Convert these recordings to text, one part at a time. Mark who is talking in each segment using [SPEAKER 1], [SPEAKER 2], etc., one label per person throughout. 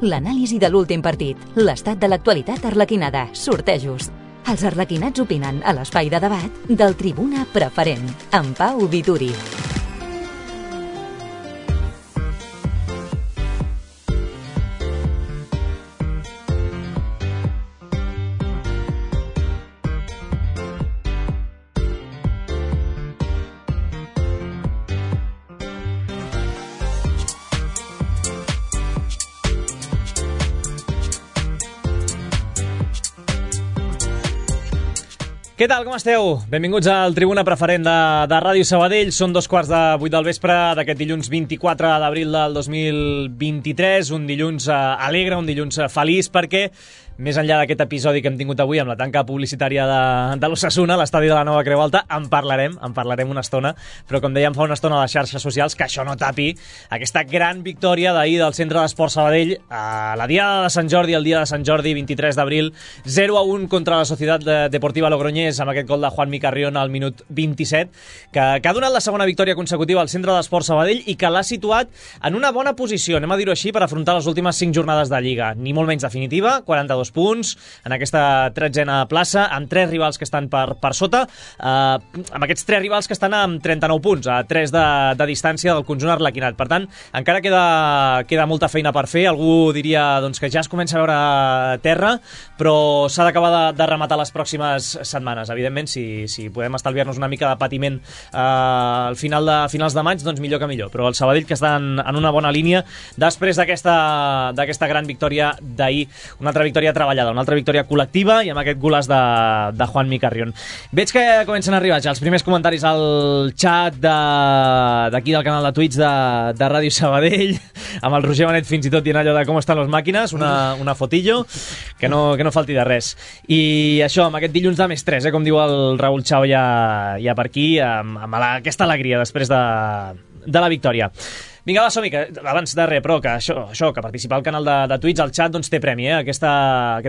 [SPEAKER 1] l'anàlisi de l'últim partit, l'estat de l'actualitat arlequinada, sortejos. Els arlequinats opinen a l'espai de debat del Tribuna Preferent, amb Pau Vituri.
[SPEAKER 2] Què tal, com esteu? Benvinguts al Tribuna Preferent de Ràdio Sabadell. Són 2:15 del vespre d'aquest dilluns 24 d'abril del 2023. Un dilluns alegre, un dilluns feliç, perquè més enllà d'aquest episodi que hem tingut avui amb la tanca publicitària de l'Osasuna, l'estadi de la Nova Creu Alta, en parlarem una estona, però com dèiem fa una estona a les xarxes socials, que això no tapi aquesta gran victòria d'ahir del Centre d'Esport Sabadell a la Diada de Sant Jordi, el dia de Sant Jordi, 23 d'abril, 0-1 contra la Societat Deportiva Logroñés, amb aquest gol de Juanmi Carrión al minut 27, que ha donat la segona victòria consecutiva al Centre d'Esport Sabadell i que l'ha situat en una bona posició, anem a dir-ho així, per afrontar les últimes 5 jornades de Lliga. Ni molt menys definitiva, 42 punts en aquesta 13a plaça, amb 3 rivals que estan per sota, amb aquests 3 rivals que estan amb 39 punts, a 3 de distància del conjunt arlequinat. Per tant, encara queda molta feina per fer. Algú diria doncs, que ja es comença a veure terra, però s'ha d'acabar de rematar les pròximes setmanes. Evidentment, si podem estalviar-nos una mica de patiment al finals de maig, doncs millor que millor. Però el Sabadell, que està en una bona línia després d'aquesta gran victòria d'ahir, una altra victòria treballada, una altra victòria col·lectiva i amb aquest golaç de Juanmi Carrión. Veig que comencen a arribar ja els primers comentaris al xat d'aquí del canal de Twitch de Ràdio Sabadell, amb el Roger Benet fins i tot dient allò de com estan les màquines, una fotillo, que no falti de res. I això, amb aquest dilluns de més 3, com diu el Raül Chao ja per aquí, amb aquesta alegria després de la victòria. Vinga, va, som-hi, que abans de res, però que això, que participar al canal de Twitch, al xat, doncs té premi, aquest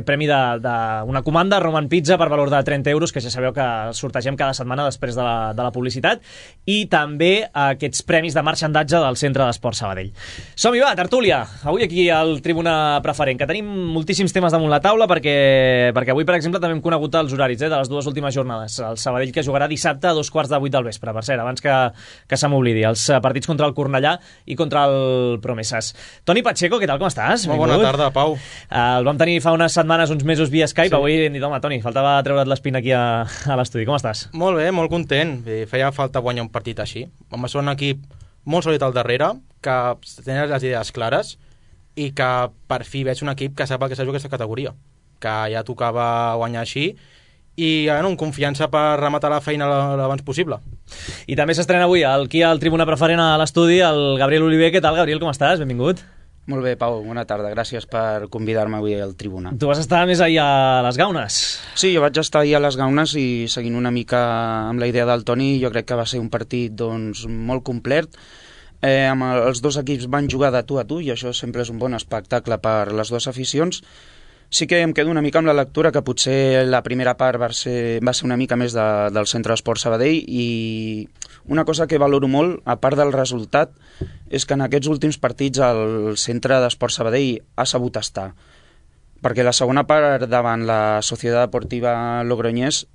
[SPEAKER 2] premi d'una comanda Roman Pizza per valor de 30 euros, que ja sabeu que sortegem cada setmana després de la publicitat, i també aquests premis de marxandatge del Centre d'Esport Sabadell. Som-hi, va, tertúlia! Avui aquí al Tribuna Preferent, que tenim moltíssims temes damunt la taula, perquè avui, per exemple, també hem conegut els horaris de les dues últimes jornades. El Sabadell, que jugarà dissabte a 2:15 del vespre, per cert, abans que se m'oblidi, els partits contra el Cornellà i contra el Promesas. Toni Pacheco, què tal, com estàs?
[SPEAKER 3] Molt bona tarda, Pau.
[SPEAKER 2] El vam tenir fa unes setmanes, uns mesos via Skype, sí. Avui hem dit, home, Toni, faltava treure't l'espina aquí a l'estudi. Com estàs?
[SPEAKER 3] Molt bé, molt content. Feia falta guanyar un partit així. Vam ser un equip molt sòlid al darrere, que tenia les idees clares i que per fi veig un equip que sap el que s'ha jugat aquesta categoria, que ja tocava guanyar així, i amb confiança per rematar la feina l'abans possible.
[SPEAKER 2] I també s'estrena avui aquí al Tribuna Preferent a l'estudi el Gabriel Oliver. Què tal, Gabriel, com estàs? Benvingut.
[SPEAKER 4] Molt bé, Pau, bona tarda. Gràcies per convidar-me avui al Tribuna.
[SPEAKER 2] Tu vas estar més ahir a les Gaunes.
[SPEAKER 4] Sí, jo vaig estar ahir a les Gaunes i seguint una mica amb la idea del Toni, jo crec que va ser un partit doncs, molt complet. Els dos equips van jugar de tu a tu i això sempre és un bon espectacle per les dues aficions. Sí que em quedo una mica amb la lectura que potser la primera part va ser una mica més del Centre d'Esport Sabadell, i una cosa que valoro molt, a part del resultat, és que en aquests últims partits el Centre d'Esport Sabadell ha sabut estar. Perquè la segona part davant la Societat Deportiva Logroñés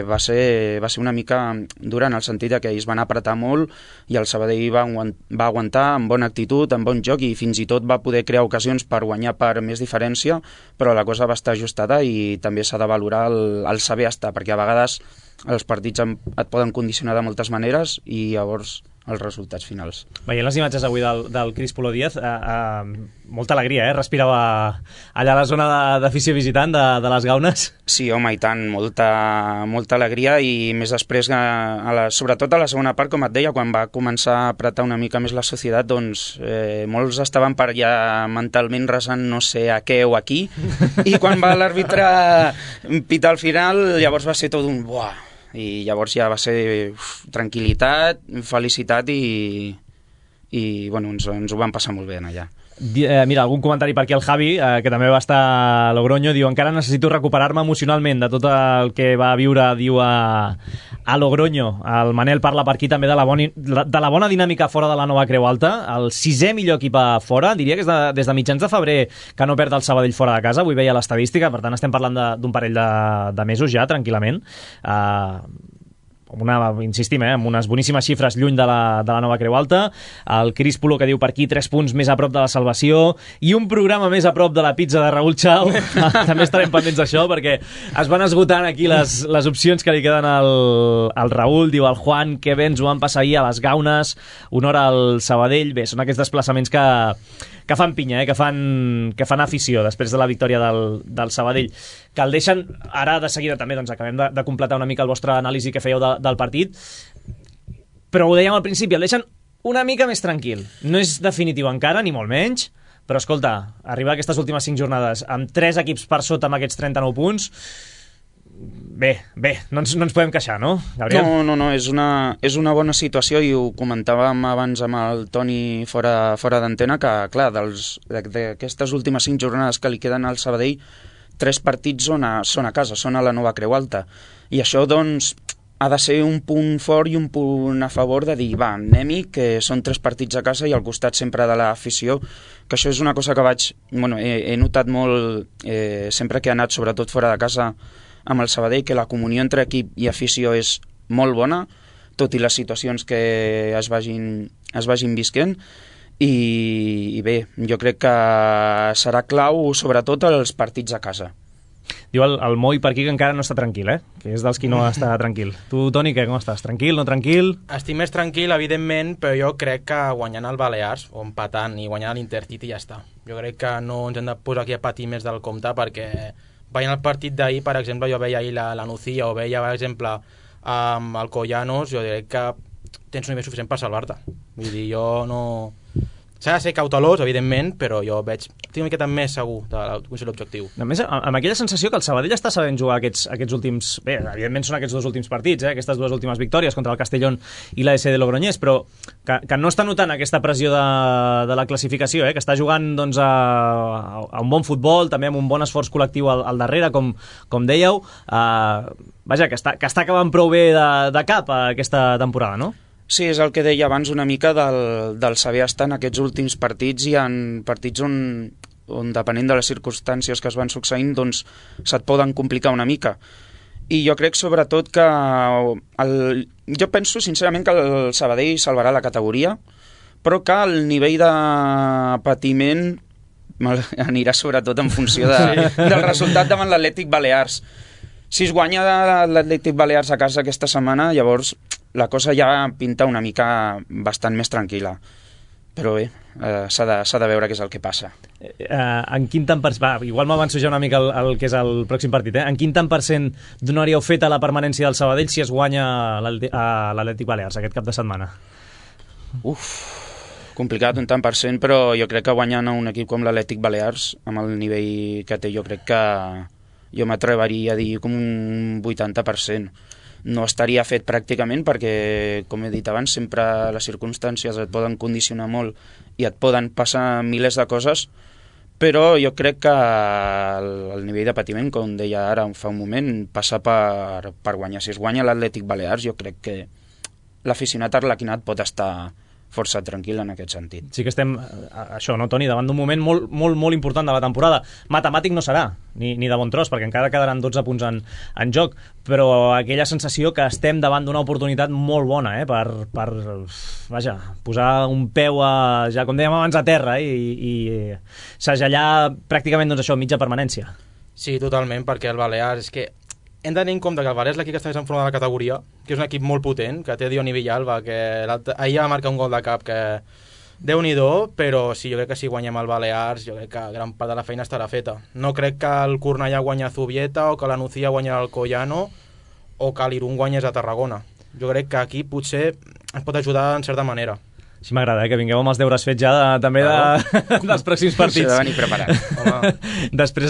[SPEAKER 4] va ser una mica dura, en el sentit que ells van apretar molt i el Sabadell va aguantar amb bona actitud, amb bon joc, i fins i tot va poder crear ocasions per guanyar per més diferència, però la cosa va estar ajustada i també s'ha de valorar el saber estar, perquè a vegades els partits et poden condicionar de moltes maneres i llavors els resultats finals.
[SPEAKER 2] Veient les imatges avui del Cris Polo Díaz, molta alegria, respirava allà a la zona d'afició visitant de les Gaunes.
[SPEAKER 4] Sí, home, i tant, molta alegria, i més després, sobretot a la segona part, com et deia, quan va començar a apretar una mica més la societat, doncs molts estaven per ja mentalment resant no sé a què o a qui, i quan va l'àrbitre pitar al final, llavors va ser tot un buah, i llavors ja va ser tranquil·litat, felicitat i bueno, ens ho vam passar molt bé allà.
[SPEAKER 2] Mira, algun comentari per aquí al Javi, que també va estar a Logroño, diu: encara necessito recuperar-me emocionalment de tot el que va viure, diu, a Logroño. El Manel parla per aquí també de la bona dinàmica fora de la Nova Creu Alta, el 6è millor equip a fora, diria que és des de mitjans de febrer que no perd el Sabadell fora de casa, avui veia l'estadística, per tant estem parlant d'un parell de mesos ja, tranquil·lament. Insistim, amb unes boníssimes xifres lluny de la Nova Creu Alta. El Cris Polo, que diu per aquí 3 punts més a prop de la salvació i un programa més a prop de la pizza de Raúl Chao. També estarem pendents d'això, perquè es van esgotant aquí les opcions que li queden al Raúl. Diu el Juan que bé ens ho van passar ahir a les Gaunes, honor al Sabadell. Bé, són aquests desplaçaments que fan pinya, que fan afició després de la victòria del Sabadell, que el deixen ara de seguida també. Doncs acabem de completar una mica el vostre anàlisi que fèieu del partit, però ho dèiem al principi, el deixen una mica més tranquil. No és definitiu encara, ni molt menys, però escolta, arribar a aquestes últimes 5 jornades amb 3 equips per sota amb aquests 39 punts, bé, no ens podem queixar, no, Gabriel?
[SPEAKER 4] No, és una bona situació, i ho comentàvem abans amb el Toni fora d'antena, que clar, d'aquestes últimes 5 jornades que li queden al Sabadell, 3 partits són a casa, són a la Nova Creu Alta, i això doncs ha de ser un punt fort i un punt a favor de dir, va, anem-hi, que són 3 partits a casa i al costat sempre de l'afició, que això és una cosa que he notat molt sempre que he anat, sobretot fora de casa, amb el Sabadell, que la comunió entre equip i afició és molt bona, tot i les situacions que es vagin visquent, i bé, jo crec que serà clau sobretot els partits a casa.
[SPEAKER 2] Diu el Moi per aquí que encara no està tranquil, que és dels qui no està tranquil. Tu, Toni, com estàs? Tranquil, no tranquil?
[SPEAKER 3] Estic més tranquil, evidentment, però jo crec que guanyant el Balears, o empatant i guanyant l'Intercity ja està. Jo crec que no ens hem de posar aquí a patir més del compte, perquè veient el partit d'ahir, per exemple, jo veia ahir la Nucía, o veia, per exemple, el Collanos, jo crec que tens un nivell suficient per salvar-te. Vull dir, jo no... S'ha de ser cautelós, evidentment, però jo estic una miqueta més segur de l'objectiu.
[SPEAKER 2] A més, amb aquella sensació que el Sabadell està sabent jugar aquests últims... Bé, evidentment són aquests 2 últims partits, aquestes 2 últimes victòries contra el Castellón i la SD Logroñés, però que no està notant aquesta pressió de la classificació, que està jugant doncs, a un bon futbol, també amb un bon esforç col·lectiu al darrere, com dèieu. Vaja, que està acabant prou bé de cap aquesta temporada, no?
[SPEAKER 4] Sí, és el que deia abans una mica del saber estar en aquests últims partits, i en partits on depenent de les circumstàncies que es van succeint, doncs se't poden complicar una mica. I jo crec sobretot que jo penso sincerament que el Sabadell salvarà la categoria, però que el nivell de patiment anirà sobretot en funció del resultat davant l'Atlètic Balears. Si es guanya l'Atlètic Balears a casa aquesta setmana, llavors la cosa ja pinta una mica bastant més tranquil·la. Però bé, s'ha de veure què és el que passa.
[SPEAKER 2] En quin tant per cent... Igual m'avanço ja una mica el que és el pròxim partit. En quin tant per cent donaríeu fet a la permanència del Sabadell si es guanya l'Atlètic Balears aquest cap de setmana?
[SPEAKER 4] Complicat un tant per cent, però jo crec que guanyant a un equip com l'Atlètic Balears, amb el nivell que té, jo crec que jo m'atreveria a dir com un 80%. No estaria fet pràcticament perquè, com he dit abans, sempre les circumstàncies et poden condicionar molt i et poden passar milers de coses, però jo crec que el nivell de patiment, com deia ara fa un moment, passa per guanyar. Si es guanya l'Atlètic Balears, jo crec que l'aficionat arlequinat pot estar força tranquil en aquest sentit.
[SPEAKER 2] Sí que estem, això, no, Toni, davant d'un moment molt, molt, molt important de la temporada. Matemàtic no serà, ni de bon tros, perquè encara quedaran 12 punts en joc, però aquella sensació que estem davant d'una oportunitat molt bona, per vaja, posar un peu ja com dèiem abans a terra i segellar pràcticament doncs això, mitja permanència.
[SPEAKER 3] Sí, totalment, perquè el Balears és que hem de tenir en compte que el Balears és l'equip que està més en forma de la categoria, que és un equip molt potent, que té Dioni Villalba, que ahir va marcar un gol de cap que Déu-n'hi-do, però sí, jo crec que si guanyem el Balears, jo crec que gran part de la feina estarà feta. No crec que el Cornellà guanya a Zubieta, o que la Nucía guanya al Collano, o que l'Irún guanyés a Tarragona. Jo crec que aquí potser ens pot ajudar en certa manera.
[SPEAKER 2] Sí, m'agrada, que vingueu amb els deures fets ja també dels pròxims partits.
[SPEAKER 4] S'ha de venir preparat.
[SPEAKER 2] Després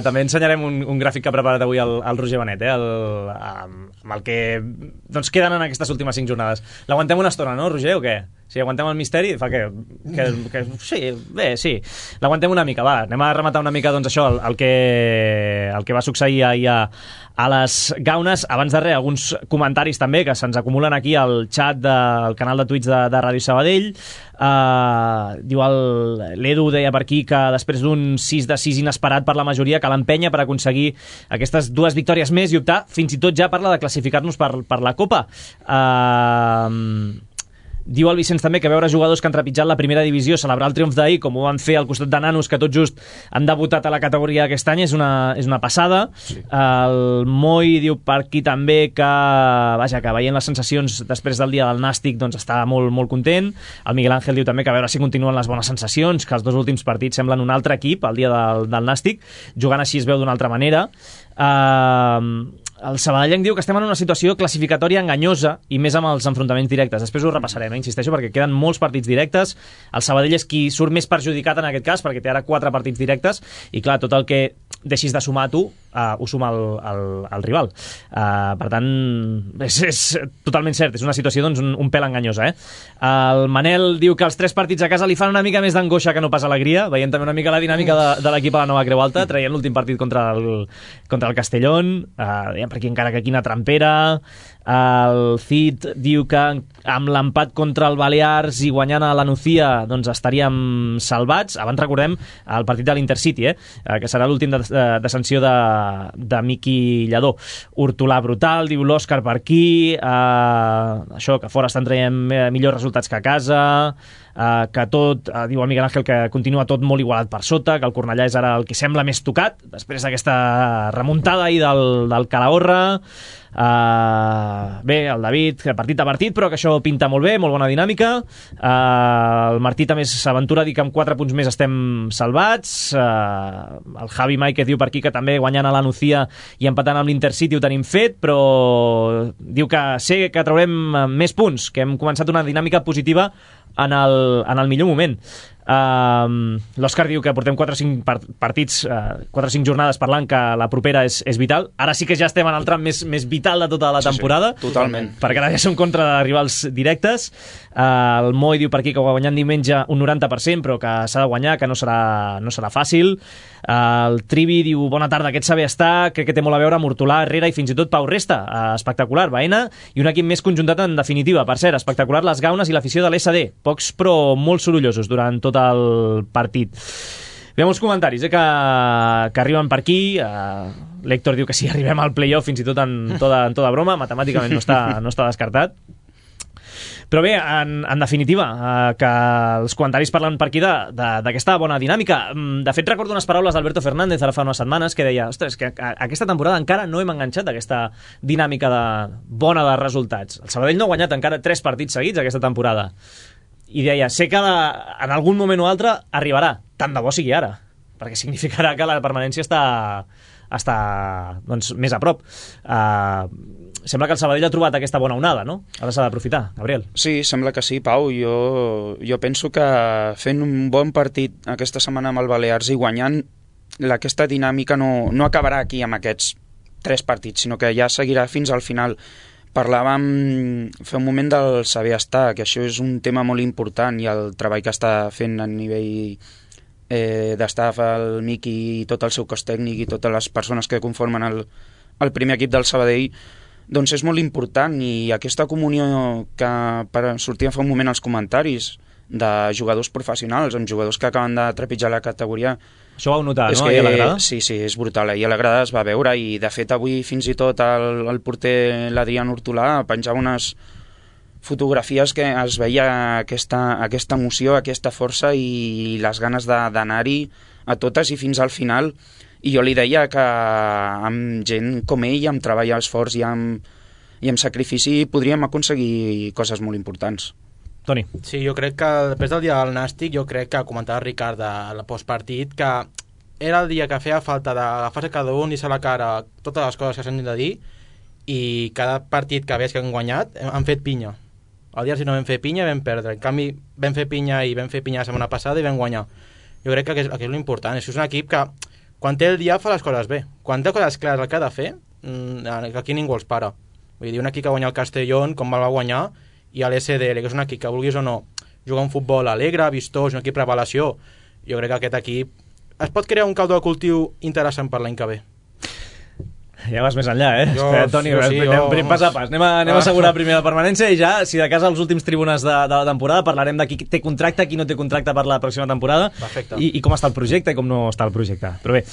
[SPEAKER 2] també ensenyarem un gràfic que ha preparat avui el Roger Benet, amb el que doncs, queden en aquestes últimes 5 jornades. L'aguantem una estona, no, Roger, o què? Si aguantem el misteri, fa que sí, bé, sí. L'aguantem una mica, va. Anem a rematar una mica, doncs, això, el que va succeir ahir a les Gaunes. Abans de res, alguns comentaris també que se'ns acumulen aquí al xat del canal de Twitch de Ràdio Sabadell. Diu l'Edu deia per aquí que després d'un 6-6 inesperat per la majoria cal empènyer per aconseguir aquestes 2 victòries més i optar, fins i tot ja parla de classificar-nos per la Copa. Diu el Vicenç també que veure jugadors que han trepitjat la primera divisió celebrar el triomf d'ahir, com ho van fer al costat de nanos que tot just han debutat a la categoria aquest any, és una passada. Sí. El Moi diu per aquí també que veient les sensacions després del dia del Nàstic doncs està molt, molt content. El Miguel Ángel diu també que a veure si continuen les bones sensacions, que els 2 últims partits semblen un altre equip el dia del Nàstic, jugant així es veu d'una altra manera. El sabadellenc diu que estem en una situació classificatòria enganyosa i més amb els enfrontaments directes. Després ho repassarem, insisteixo, perquè queden molts partits directes. El Sabadell és qui surt més perjudicat en aquest cas, perquè té ara 4 partits directes i, clar, tot el que deixis de sumar tu ho suma el rival. Per tant, és totalment cert, és una situació doncs, un pèl enganyosa. El Manel diu que els 3 partits a casa li fan una mica més d'angoixa que no pas alegria, veient també una mica la dinàmica de l'equip a la Nova Creu Alta, traient l'últim partit contra el Castellón, per aquí encara que quina trampera. El Cid diu que amb l'empat contra el Balears i guanyant a la Nucía doncs estaríem salvats. Abans recordem el partit de l'Intercity, que serà l'últim de sanció de Miqui Lladó. Hortolà brutal, diu l'Òscar per aquí, això, que fora estan traient millors resultats que a casa, que tot, diu el Miguel Ángel, que continua tot molt igualat per sota, que el Cornellà és ara el que sembla més tocat després d'aquesta remuntada ahir del Calahorra. Bé, el David, partit a partit, però que això pinta molt bé, molt bona dinàmica. El Martí també s'aventura a dir que amb 4 punts més estem salvats. El Javi Maike diu per aquí que també guanyant a la Nucía i empatant amb l'Intercity ho tenim fet, però diu que sé que traurem més punts, que hem començat una dinàmica positiva en el millor moment. L'Òscar diu que portem 4 o 5 partits, 4 o 5 jornades parlant que la propera és vital. Ara sí que ja estem en el tram més vital de tota la temporada.
[SPEAKER 4] Sí, totalment.
[SPEAKER 2] Perquè ara ja som contra de rivals directes. El Moi diu per aquí que guanyant diumenge un 90%, però que s'ha de guanyar, que no serà fàcil. El Trivi diu bona tarda, aquest saber estar, crec que té molt a veure amb Hortolà, Herrera i fins i tot Pau Resta. Espectacular, Baena, i un equip més conjuntat en definitiva. Per cert, espectacular les Gaunes i l'afició de l'SD, pocs però molt sorollosos durant tot el partit. Ve molts comentaris que arriben per aquí. L'Héctor diu que si arribem al playoff fins i tot en tota broma, matemàticament no està descartat. Però bé, en definitiva, que els comentaris parlen per aquí d'aquesta bona dinàmica. De fet, recordo unes paraules d'Alberto Fernández ara fa unes setmanes que deia, ostres, que aquesta temporada encara no hem enganxat aquesta dinàmica bona de resultats. El Sabadell no ha guanyat encara 3 partits seguits aquesta temporada. I deia, sé que en algun moment o altre arribarà, tant de bo sigui ara, perquè significarà que la permanència està doncs, més a prop. Sembla que el Sabadell ha trobat aquesta bona onada, no? Ara s'ha d'aprofitar, Gabriel.
[SPEAKER 4] Sí, sembla que sí, Pau. Jo penso que fent un bon partit aquesta setmana amb el Balears i guanyant, aquesta dinàmica no acabarà aquí amb aquests 3 partits, sinó que ja seguirà fins al final. Parlàvem fa un moment del saber estar, que això és un tema molt important, i el treball que està fent a nivell d'estaf el Miqui i tot el seu cos tècnic i totes les persones que conformen el primer equip del Sabadell, doncs és molt important. I aquesta comunió que sortia fa un moment als comentaris de jugadors professionals amb jugadors que acaben de trepitjar la categoria,
[SPEAKER 2] això ho vau notar, no? A la grada?
[SPEAKER 4] Sí, és brutal. I a la grada es va veure, i de fet avui fins i tot el porter l'Adrián Hortolà penjava unes fotografies que es veia aquesta emoció, aquesta força i les ganes d'anar-hi a totes i fins al final. I jo li deia que amb gent com ell, amb treball esforç i amb sacrifici podríem aconseguir coses molt importants.
[SPEAKER 2] Toni.
[SPEAKER 3] Sí, jo crec que després del dia del Nàstic, jo crec que comentava Ricard a la postpartit que era el dia que feia falta d'agafar-se cada un i ser a la cara totes les coses que s'han de dir, i cada partit que veig que han guanyat han fet pinya. El dia si no vam fer pinya vam perdre, en canvi vam fer pinya la setmana passada i vam guanyar. Jo crec que és l'important. És un equip que quan té el dia fa les coses bé, quan té coses clares el que ha de fer, aquí ningú els para. Vull dir, un equip que guanya el Castellón com el va guanyar, i a l'SDL, que és un equip que vulguis o no jugar un futbol alegre, vistós, un equip revelació. Jo crec que aquest equip es pot crear un caldo de cultiu interessant per l'any que ve.
[SPEAKER 2] Ja vas més enllà, Espera, Toni,
[SPEAKER 3] anem
[SPEAKER 2] pas a pas. Anem a assegurar primer la permanència i ja, si de cas als últims tribunes de la temporada, parlarem de qui té contracte, qui no té contracte per la pròxima temporada.
[SPEAKER 3] Perfecte.
[SPEAKER 2] I com està el projecte i com no està el projecte. Però bé,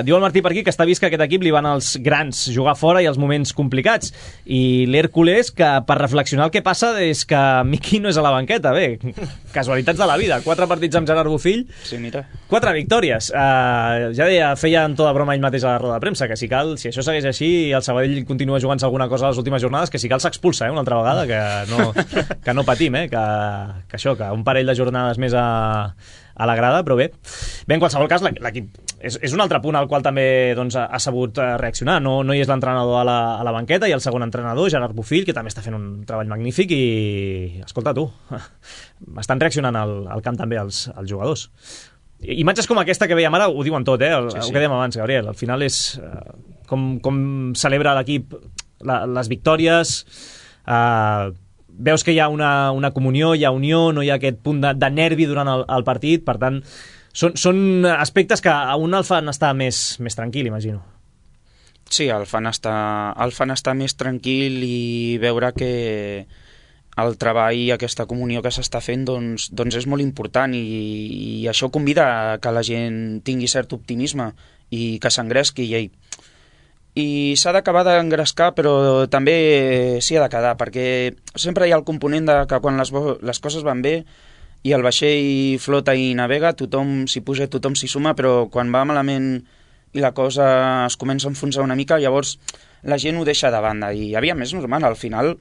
[SPEAKER 2] diu el Martí per aquí que està vist que aquest equip li van als grans jugar fora i els moments complicats. I l'Hèrcules, que per reflexionar el que passa és que Miqui no és a la banqueta. Bé, casualitats de la vida. 4 partits amb Gerard Bofill,
[SPEAKER 4] Sí, mira.
[SPEAKER 2] 4 victòries. Ja deia, feia en tota broma ell mateix a la roda de premsa, que si cal, si això segueix així i el Sabadell continua jugant-se alguna cosa a les últimes jornades, que si cal s'expulsa, una altra vegada, que no patim, que això, que un parell de jornades més a la grada, però bé, en qualsevol cas l'equip és un altre punt al qual també doncs, ha sabut reaccionar. No hi és l'entrenador a la banqueta i el segon entrenador, Gerard Bofill, que també està fent un treball magnífic i, escolta tu, estan reaccionant al camp també els jugadors. Imatges com aquesta que veiem ara ho diuen tot, sí. Ho que dèiem abans, Gabriel. Al final és com celebra l'equip les victòries, veus que hi ha una comunió, hi ha unió, no hi ha aquest punt de nervi durant el partit, per tant són aspectes que a un el fan estar més tranquil, imagino.
[SPEAKER 4] Sí, el fan estar més tranquil i veure que el treball i aquesta comunió que s'està fent doncs és molt important i això convida a que la gent tingui cert optimisme i que s'engresqui i s'ha d'acabar d'engrescar, però també s'hi ha de quedar, perquè sempre hi ha el component de que quan les coses van bé i el vaixell flota i navega, tothom s'hi puja, tothom s'hi suma, però quan va malament i la cosa es comença a enfonsar una mica, llavors la gent ho deixa de banda i aviam, és normal, al final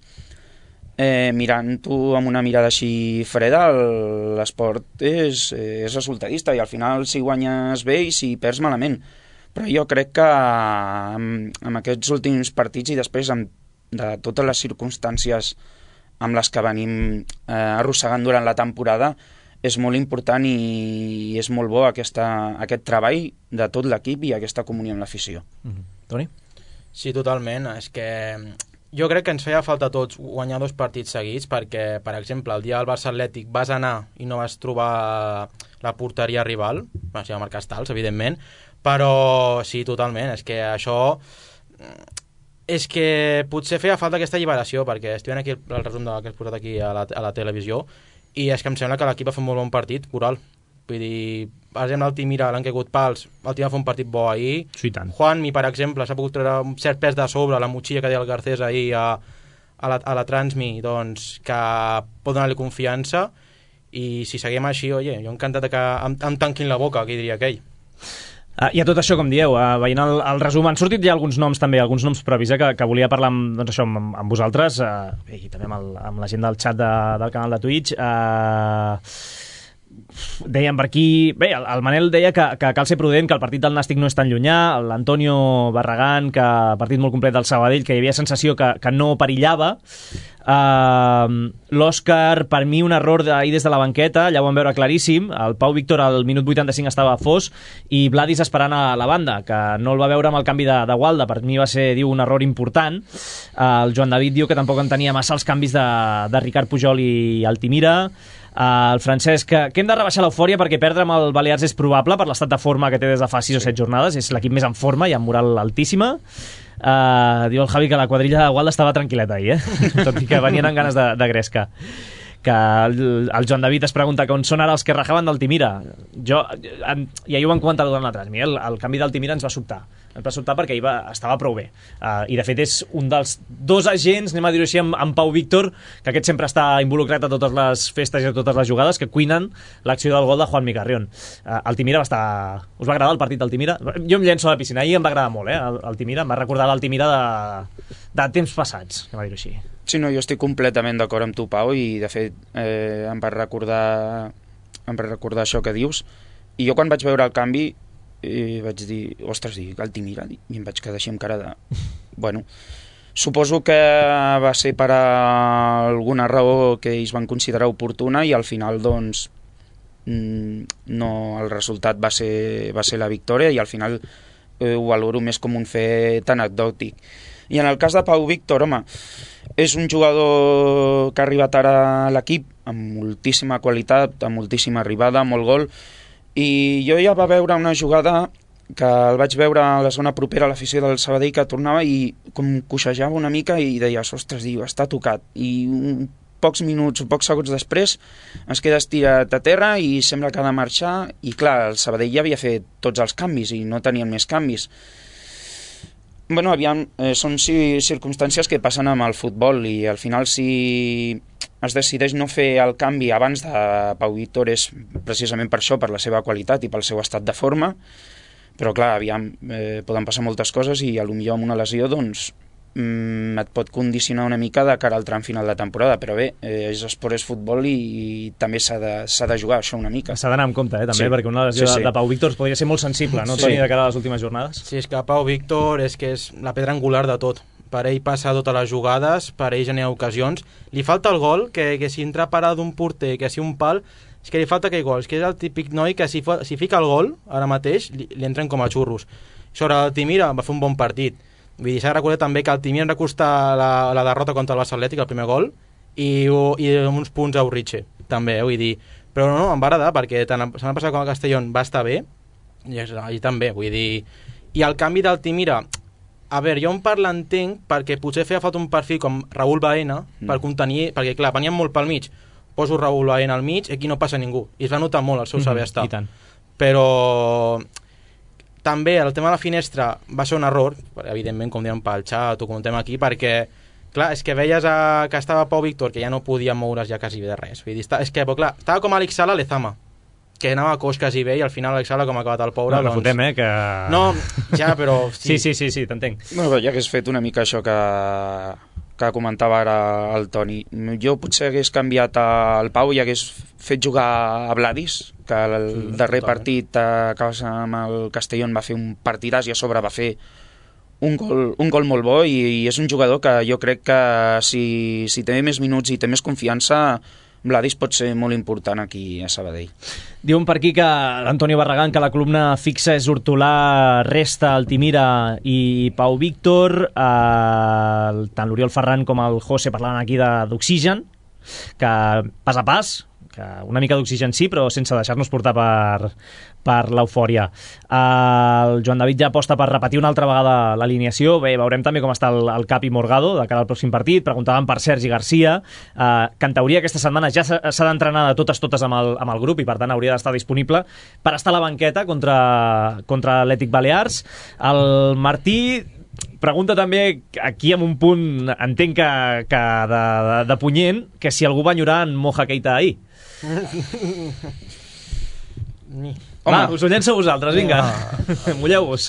[SPEAKER 4] mirant-ho amb una mirada així freda, l'esport és resultadista i al final si guanyes bé i si perds malament, però jo crec que amb aquests últims partits i després de totes les circumstàncies amb les que venim arrossegant durant la temporada és molt important i és molt bo aquest treball de tot l'equip i aquesta comunió amb l'afició.
[SPEAKER 2] Toni?
[SPEAKER 3] Sí, totalment. És que jo crec que ens feia falta a tots guanyar 2 partits seguits perquè, per exemple, el dia del Barça Atlètic vas anar i no vas trobar la porteria rival, si va marcar Stals, evidentment, però sí, totalment, és que això és que potser feia falta aquesta alliberació, perquè estic veient aquí el resum que has posat aquí a la televisió i és que em sembla que l'equip va fer un molt bon partit, coral. Vull dir, per exemple, el Timira l'han caigut pals, el Timira va fer un partit bo ahir.
[SPEAKER 2] Sí, tant.
[SPEAKER 3] Juanmi, per exemple, s'ha pogut treure un cert pes de sobre, la motxilla que deia el Garcés ahir a la Transmi, doncs, que pot donar-li confiança i si seguim així, oye, jo encantat que em tanquin la boca, que diria aquell.
[SPEAKER 2] I a tot això, com dieu, veient el resum, han sortit ja alguns noms també, alguns noms propis, que volia parlar amb vosaltres, i també amb la gent del xat del canal de Twitch. Deien per aquí... Bé, el Manel deia que cal ser prudent, que el partit del Nàstic no és tan llunyà, l'Antonio Barragán, que partit molt complet del Sabadell, que hi havia sensació que no perillava. L'Òscar, per mi un error ahir des de la banqueta, ja ho vam veure claríssim. El Pau Víctor al minut 85 estava fos i Vladis esperant a la banda, que no el va veure amb el canvi de Gualda. Per mi va ser, diu, un error important. El Joan David diu que tampoc entenia massa els canvis de Ricard Pujol i Altimira. El Francesc, que hem de rebaixar l'eufòria perquè perdre amb el Balears és probable per l'estat de forma que té des de fa 6 o 7 jornades, és l'equip més en forma i amb moral altíssima. Diu el Javi que la quadrilla de Gualda estava tranquil·leta ahir, tot i que venien amb ganes de gresca. Que el Joan David es pregunta que on són ara els que rajaven d'Altimira. I ahir ho vam comentar durant la transmissió, el canvi d'Altimira ens va sobtar perquè estava prou bé, i de fet és un dels 2 agents, anem a dir-ho així, amb Pau Víctor, que aquest sempre està involucrat a totes les festes i a totes les jugades, que cuinen l'acció del gol de Juanmi Carrión. Altimira us va agradar el partit d'Altimira? Jo em llenço a la piscina, ahir em va agradar molt, Altimira, em va recordar l'Altimira de temps passats, anem a dir-ho així.
[SPEAKER 4] Sí, no, jo estic completament d'acord amb tu, Pau, i de fet em va recordar això que dius, i jo quan vaig veure el canvi vaig dir, ostres, Altimira, i em vaig quedar així amb cara de... Bueno, suposo que va ser per alguna raó que ells van considerar oportuna i al final, doncs, no, el resultat va ser la victòria i al final ho valoro més com un fet anecdòtic. I en el cas de Pau Víctor, home, És un jugador que ha arribat ara a l'equip amb moltíssima qualitat, amb moltíssima arribada, molt gol, i jo ja va veure una jugada que el vaig veure a la zona propera a l'afició del Sabadell, que tornava i com coixejava una mica i deies, ostres, està tocat. I pocs minuts, pocs segons després es queda estirat a terra i sembla que ha de marxar, i clar, el Sabadell ja havia fet tots els canvis i no tenien més canvis. Bueno, aviam, són circumstàncies que passen amb el futbol i al final si es decideix no fer el canvi abans de Pau Víctor és precisament per això, per la seva qualitat i pel seu estat de forma, però clar, aviam, poden passar moltes coses i potser amb una lesió doncs et pot condicionar una mica de cara al tram final de temporada, però bé, és esport, és futbol i també s'ha de jugar això una mica.
[SPEAKER 2] S'ha d'anar amb compte, també, sí, perquè una lesió de Pau Víctor podria ser molt sensible, no, Toni, de cara a les últimes jornades?
[SPEAKER 3] Sí, és que Pau Víctor és que és la pedra angular de tot. Per ell passa totes les jugades, per ell genera ocasions. Li falta el gol, que si entra parada d'un porter, que si un pal, és que li falta aquell gol. És que és el típic noi que si fica el gol, ara mateix, li entren com a xurros. Sobre el Timira va fer un bon partit. Vull dir, s'ha de recordar també que el Timir va costar la derrota contra el Barça Atlètic, el primer gol, i uns punts a Urriche, també, vull dir. Però no, em va agradar, perquè tant la setmana passada com a Castellón va estar bé, i també, vull dir. I el canvi del Timira, a veure, jo en part l'entenc, perquè potser feia falta un perfil com Raúl Baena, per contenir, perquè clar, venien molt pel mig, poso Raúl Baena al mig, aquí no passa ningú, i es va notar molt el seu saber estar.
[SPEAKER 2] I tant.
[SPEAKER 3] Però també el tema de la finestra va ser un error, evidentment, com diem pel xat o comentem aquí, perquè clar, és que veies que estava Pau Víctor, que ja no podia moure's ja quasi bé de res. Vull dir, és que, però, clar, estava com Àlex Sala a Lezama, que anava a coix quasi bé, i al final Àlex Sala, com ha acabat el pobre...
[SPEAKER 2] No, doncs... fotem, que...
[SPEAKER 3] No, ja, però...
[SPEAKER 2] Sí, t'entenc.
[SPEAKER 4] Bueno, ja hagués fet una mica això que comentava ara el Toni. Jo potser hagués canviat el Pau i hagués fet jugar a Vladis, que el darrer partit amb el Castellón va fer un partidàs i a sobre va fer un gol molt bo, i és un jugador que jo crec que si té més minuts i té més confiança, Vladis pot ser molt important aquí a Sabadell.
[SPEAKER 2] Diuen per aquí que l'Antonio Barragán, que la columna fixa és Hortolà, Resta, Altimira i Pau Víctor, tant l'Oriol Ferran com el José parlaven aquí d'oxigen, que pas a pas, que una mica d'oxigen sí, però sense deixar-nos portar per l'eufòria. El Joan David ja aposta per repetir una altra vegada l'alineació. Bé, veurem també com està el Capi Morgado de cara al pròxim partit. Preguntaven per Sergi Garcia, que en teoria aquesta setmana ja s'ha d'entrenar de totes amb el grup i per tant hauria d'estar disponible per estar a la banqueta contra l'Atlètic Balears. El Martí pregunta també, aquí amb un punt entenc que de punyent, que si algú va enyorar en Moja Keita ahir. Va, us ho llenço a vosaltres, vinga. Mulleu-vos.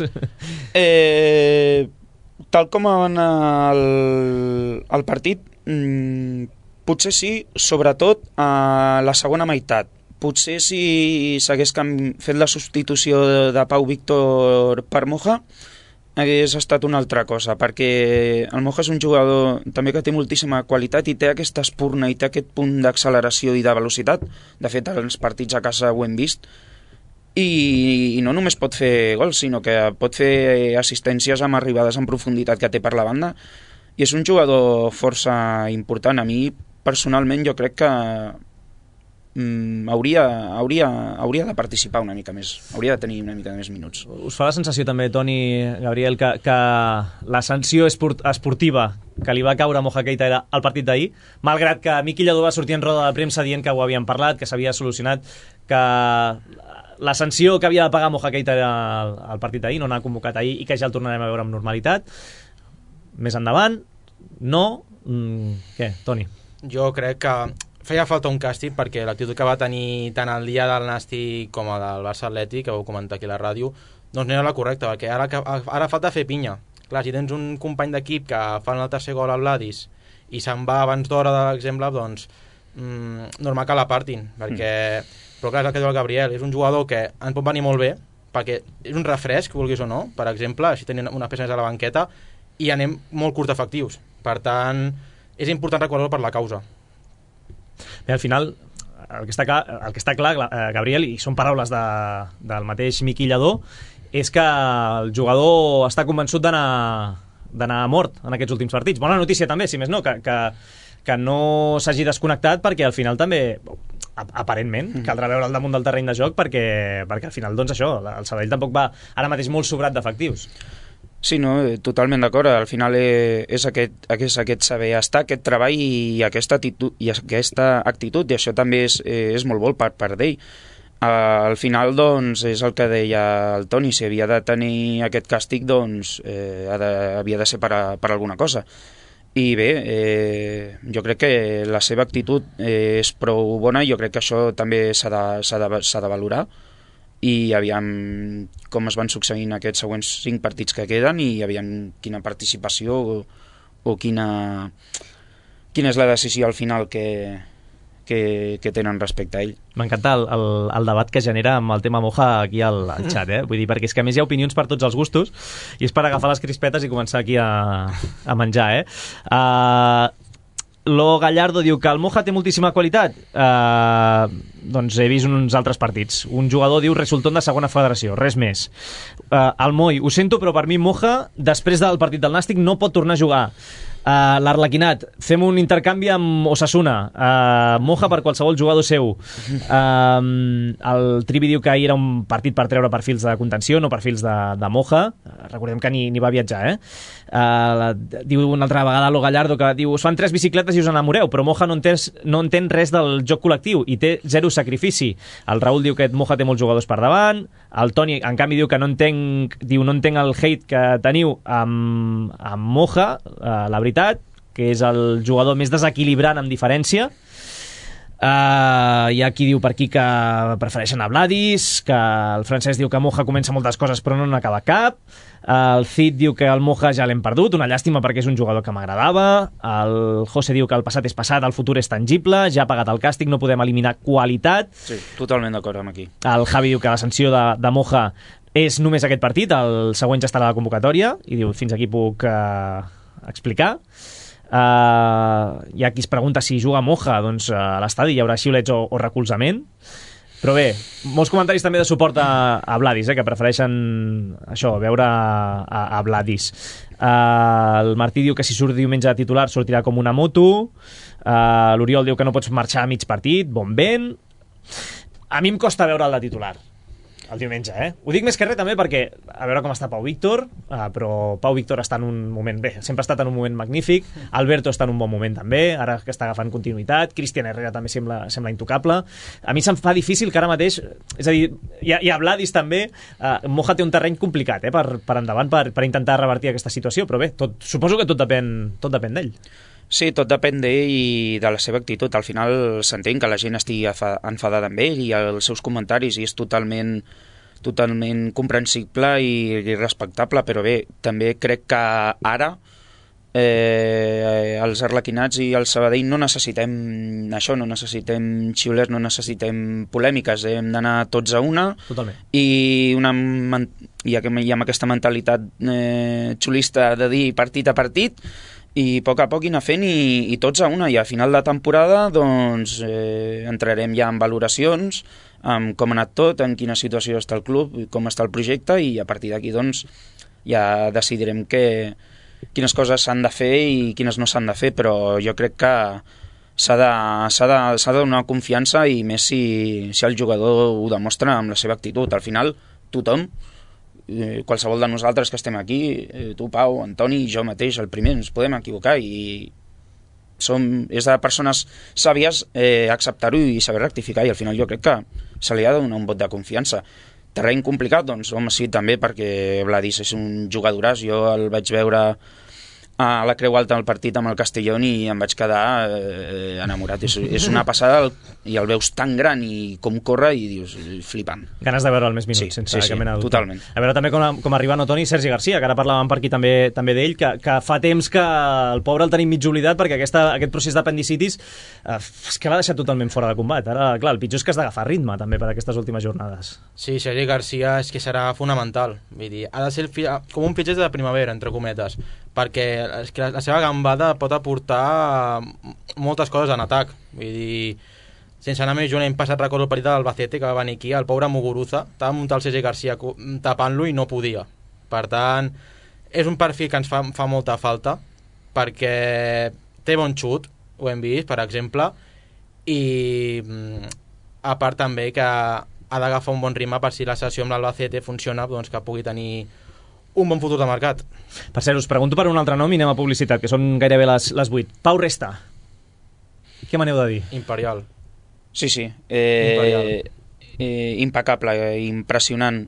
[SPEAKER 4] Tal com va anar el partit, potser sí, sobretot a la segona meitat. Potser si s'hagués fet la substitució de Pau Víctor per Moja, hagués estat una altra cosa, perquè el Moja és un jugador també que té moltíssima qualitat i té aquesta espurna i té aquest punt d'acceleració i de velocitat. De fet, els partits a casa ho hem vist, i no només pot fer gols, sinó que pot fer assistències amb arribades en profunditat que té per la banda, i és un jugador força important. A mi, personalment, jo crec que hauria de participar una mica més, hauria de tenir una mica més minuts.
[SPEAKER 2] Us fa la sensació també, Toni, Gabriel, que la sanció esportiva que li va caure a Moja Keita era el partit d'ahir, malgrat que Miqui Lladó va sortir en roda de premsa dient que ho havien parlat, que s'havia solucionat, que la sanció que havia de pagar Moja Keita era el partit d'ahir, no n'ha convocat ahir i que ja el tornarem a veure amb normalitat. Més endavant, no... Què, Toni?
[SPEAKER 3] Jo crec que feia falta un càstig, perquè l'actitud que va tenir tant el dia del Nàstic com el del Barça Atlètic, que vau comentar aquí a la ràdio, doncs no era la correcta, perquè ara falta fer pinya. Clar, si tens un company d'equip que fa el tercer gol al Vladis i se'n va abans d'hora, per exemple, doncs normal que l'apartin, perquè... Però clar, és el que diu el Gabriel, és un jugador que ens pot venir molt bé, perquè és un refresc, vulguis o no, per exemple, així tenint una peça més a la banqueta, i anem molt curt efectius. Per tant, és important recordar-ho per la causa.
[SPEAKER 2] Bé, al final, el que està clar, Gabriel, i són paraules del mateix Miqui Lladó, és que el jugador està convençut d'anar d'anar a mort en aquests últims partits. Bona notícia també, si més no, que no s'hagi desconnectat, perquè al final també, aparentment, caldrà veure al damunt del terreny de joc, perquè al final, doncs això, el Sabadell tampoc va ara mateix molt sobrat d'efectius.
[SPEAKER 4] Sí, no, totalment d'acord. Al final és aquest saber estar, aquest treball i aquesta actitud, i això també és molt bo per d'ell. Al final, doncs, és el que deia el Toni, si havia de tenir aquest càstig, doncs, havia de ser per alguna cosa. I bé, jo crec que la seva actitud és prou bona, i jo crec que això també s'ha de valorar, i aviam com es van succeint aquests següents 5 partits que queden, i aviam quina participació o quina és la decisió al final que tenen respecte a ell.
[SPEAKER 2] M'encanta el debat que genera amb el tema Moja aquí al xat, vull dir, perquè és que a més hi ha opinions per tots els gustos, i és per agafar les crispetes i començar aquí a menjar, Lo Gallardo diu que el Moja té moltíssima qualitat. Doncs he vist uns altres partits. Un jugador diu resultón de segona federació, res més. El Moi, ho sento, però per mi Moja, després del partit del Nàstic, no pot tornar a jugar. L'Arlequinat, fem un intercanvi amb Osasuna, Moja per qualsevol jugador seu. El Trivi diu que ahir era un partit per treure perfils de contenció, no perfils de Moja. Recordem que ni va viatjar, diu una altra vegada Lo Gallardo, que diu, us fan 3 bicicletes i us enamoreu, però Moja no entén res del joc col·lectiu i té 0 sacrifici. El Raül diu que Moja té molts jugadors per davant. El Toni, en canvi, diu que no entenc el hate que teniu amb Moja, la veritat, que és el jugador més desequilibrant amb diferència. Hi ha qui diu per aquí que prefereixen a Vladis, que el Francesc diu que Moja comença moltes coses però no n'acaba cap. El Cid diu que el Moja ja l'hem perdut, una llàstima perquè és un jugador que m'agradava. El José diu que el passat és passat, el futur és tangible, ja ha pagat el càstig, no podem eliminar qualitat.
[SPEAKER 4] Sí, totalment d'acord amb aquí.
[SPEAKER 2] El Javi diu que la sanció de Moja és només aquest partit, el següent ja estarà a la convocatòria, i diu, fins aquí puc explicar. Hi ha qui es pregunta si juga Moja, doncs a l'estadi hi haurà xiulets o recolzament. Però bé, molts comentaris també de suport a Vladis, que prefereixen això, veure a Vladis. El Martí diu que si surt diumenge de titular sortirà com una moto. L'Oriol diu que no pots marxar a mig partit, bon vent. A mi em costa veure el de titular el diumenge, Ho dic més que res també perquè a veure com està Pau Víctor, però Pau Víctor està en un moment bé, sempre ha estat en un moment magnífic. Alberto està en un bon moment també, ara que està agafant continuïtat. Cristian Herrera també sembla intocable. A mi se'm fa difícil que ara mateix, és a dir, hi ha Vladis també. Moja té un terreny complicat per endavant, per intentar revertir aquesta situació, però bé, suposo que tot depèn d'ell.
[SPEAKER 4] Sí, tot depèn d'ell i de la seva actitud. Al final s'entén que la gent estigui enfadada amb ell i els seus comentaris, i és totalment comprensible i respectable, però bé, també crec que ara els arlequinats i el Sabadell no necessitem això, no necessitem xiulers, no necessitem polèmiques, hem d'anar tots a una.
[SPEAKER 2] Totalment.
[SPEAKER 4] I amb aquesta mentalitat xulista de dir partit a partit, i a poc anar fent i tots a una, i a final de temporada doncs entrarem ja en valoracions, amb com ha anat tot, en quina situació està el club, com està el projecte, i a partir d'aquí doncs ja decidirem quines coses s'han de fer i quines no s'han de fer, però jo crec que s'ha de donar confiança, i més si el jugador ho demostra amb la seva actitud. Al final tothom, qualsevol de nosaltres que estem aquí, tu, Pau, Antoni, jo mateix, el primer, ens podem equivocar, i és de persones sàvies acceptar-ho i saber rectificar, i al final jo crec que se li ha de donar un vot de confiança. Terreny complicat? Doncs home, sí, també, perquè Vladis és un jugadoràs. Jo el vaig veure a la Creu Alta al partit amb el Castellón i em vaig quedar enamorat. És una passada, i el veus tan gran i com corre, i dius, flipant.
[SPEAKER 2] Ganes de veure el més minuts, sense cap mena de dubte.
[SPEAKER 4] Totalment.
[SPEAKER 2] A veure també com arriba no Toni Sergi Garcia, que ara parlàvem per aquí també d'ell, que fa temps que el pobre el tenim mig oblidat, perquè aquest procés d'apendicitis és que l'ha deixat totalment fora de combat. Ara, clar, el pitjor és que has d'agafar ritme també per aquestes últimes jornades.
[SPEAKER 3] Sí, Sergi Garcia és que serà fonamental. Vull dir, ha de ser com un fitxer de primavera, entre cometes, perquè és que la seva gambada pot aportar moltes coses en atac. Vull dir, sense anar més lluny, l'any passat recordo el partit de l'Albacete, que va venir aquí, el pobre Muguruza estava muntant el Sergi Garcia tapant-lo i no podia. Per tant, és un perfil que ens fa molta falta, perquè té bon xut, ho hem vist, per exemple, i a part també que ha d'agafar un bon ritme per si la sessió amb l'Albacete funciona, doncs que pugui tenir un bon futur de mercat.
[SPEAKER 2] Per cert, us pregunto per un altre nom i anem a publicitat, que són gairebé les 8. Pau Resta. Què m'aneu de dir?
[SPEAKER 3] Imperial.
[SPEAKER 4] Sí.
[SPEAKER 3] Imperial.
[SPEAKER 4] Impecable, impressionant.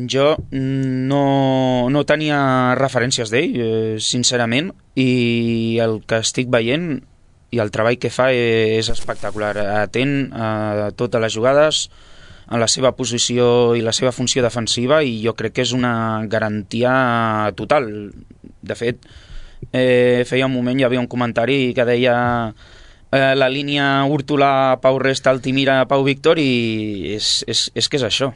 [SPEAKER 4] Jo no tenia referències d'ell, sincerament, i el que estic veient i el treball que fa és espectacular. Atent a totes les jugades, en la seva posició i la seva funció defensiva, i jo crec que és una garantia total. De fet, feia un moment hi havia un comentari que deia la línia Hurtolà-Pau Resta, Altimira-Pau Víctor, i és que és això.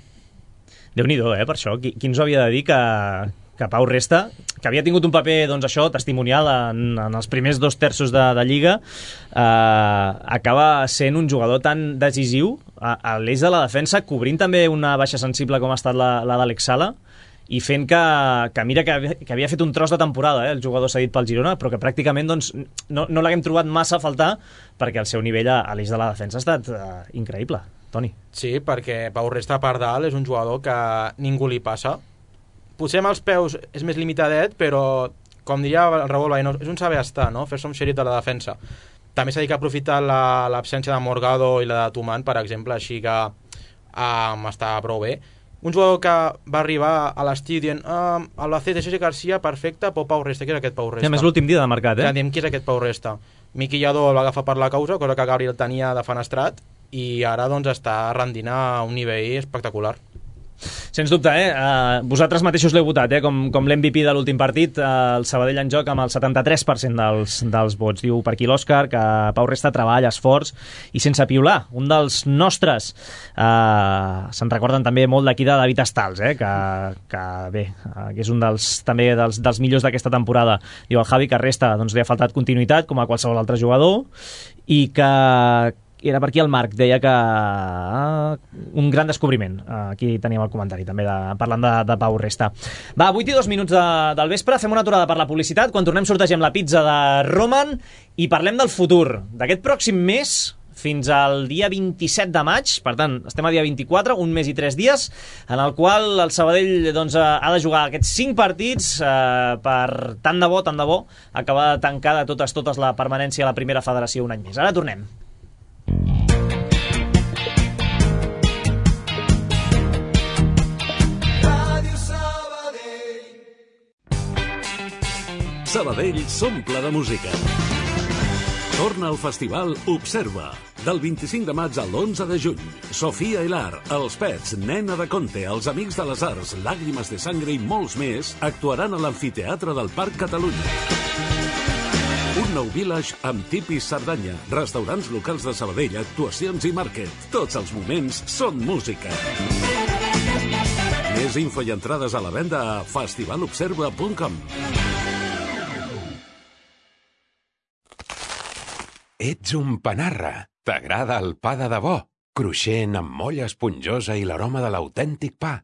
[SPEAKER 2] Déu-n'hi-do, per això. Qui ens ho havia de dir que Pau Resta, que havia tingut un paper, doncs això, testimonial en els primers 2 terços de Lliga, acaba sent un jugador tan decisiu a l'eix de la defensa, cobrint també una baixa sensible com ha estat la d'Àlex Sala, i fent que mira que havia fet un tros de temporada, el jugador cedit pel Girona, però que pràcticament doncs, no l'haguem trobat massa a faltar, perquè el seu nivell a l'eix de la defensa ha estat increïble. Toni. Sí,
[SPEAKER 3] perquè Pau Resta per dalt és un jugador que ningú li passa. Potser amb els peus és més limitadet, però, com diria el Raúl Baino, és un saber estar, no? Fer-se un xerif de la defensa. També s'ha dit que ha aprofitat l'absència de Morgado i la de Tuman, per exemple, així que està prou bé. Un jugador que va arribar a l'estiu dient Albacete, Sergi Garcia, perfecte, però Pau Resta, què és aquest Pau Resta?
[SPEAKER 2] A més, l'últim dia de mercat,
[SPEAKER 3] Ja diem, qui és aquest Pau Resta? Miqui Lladó el va agafar per la causa, cosa que Gabriel tenia de fenestrat, i ara doncs està rendint a un nivell espectacular.
[SPEAKER 2] Sens dubte, vosaltres mateixos l'heu votat, com l'MVP de l'últim partit, el Sabadell en joc amb el 73% dels vots. Diu per aquí l'Òscar que Pau Resta treballa, esforç i sense piular. Un dels nostres, se'n recorden també molt d'aquí de David Estals, que és un també dels millors d'aquesta temporada. Diu el Javi que Resta doncs, li ha faltat continuïtat, com a qualsevol altre jugador, i que era per aquí el Marc, deia que un gran descobriment. Aquí teníem el comentari també parlant de Pau Resta. Va, 8:02 del vespre, fem una aturada per la publicitat. Quan tornem sortegem la pizza de Roman i parlem del futur d'aquest pròxim mes fins al dia 27 de maig, per tant, estem a dia 24, un mes i 3 dies, en el qual el Sabadell doncs, ha de jugar aquests 5 partits per tant de bo acabar de tancar de totes la permanència a la primera federació un any més. Ara tornem.
[SPEAKER 5] Sabadell s'omple de música. Torna al festival Observa. Del 25 de maig al 11 de juny. Sofia Hilar, Els Pets, Nena de Conte, Els Amics de les Arts, Làgrimes de Sangre i molts més actuaran a l'Amfiteatre del Parc Catalunya. Un nou village amb tipis Cerdanya, restaurants locals de Sabadell, actuacions i màrquet. Tots els moments són música. Més info i entrades a la venda a festivalobserva.com.
[SPEAKER 6] Ets un panarra. T'agrada el pa de debò? Cruixent, amb molla esponjosa i l'aroma de l'autèntic pa.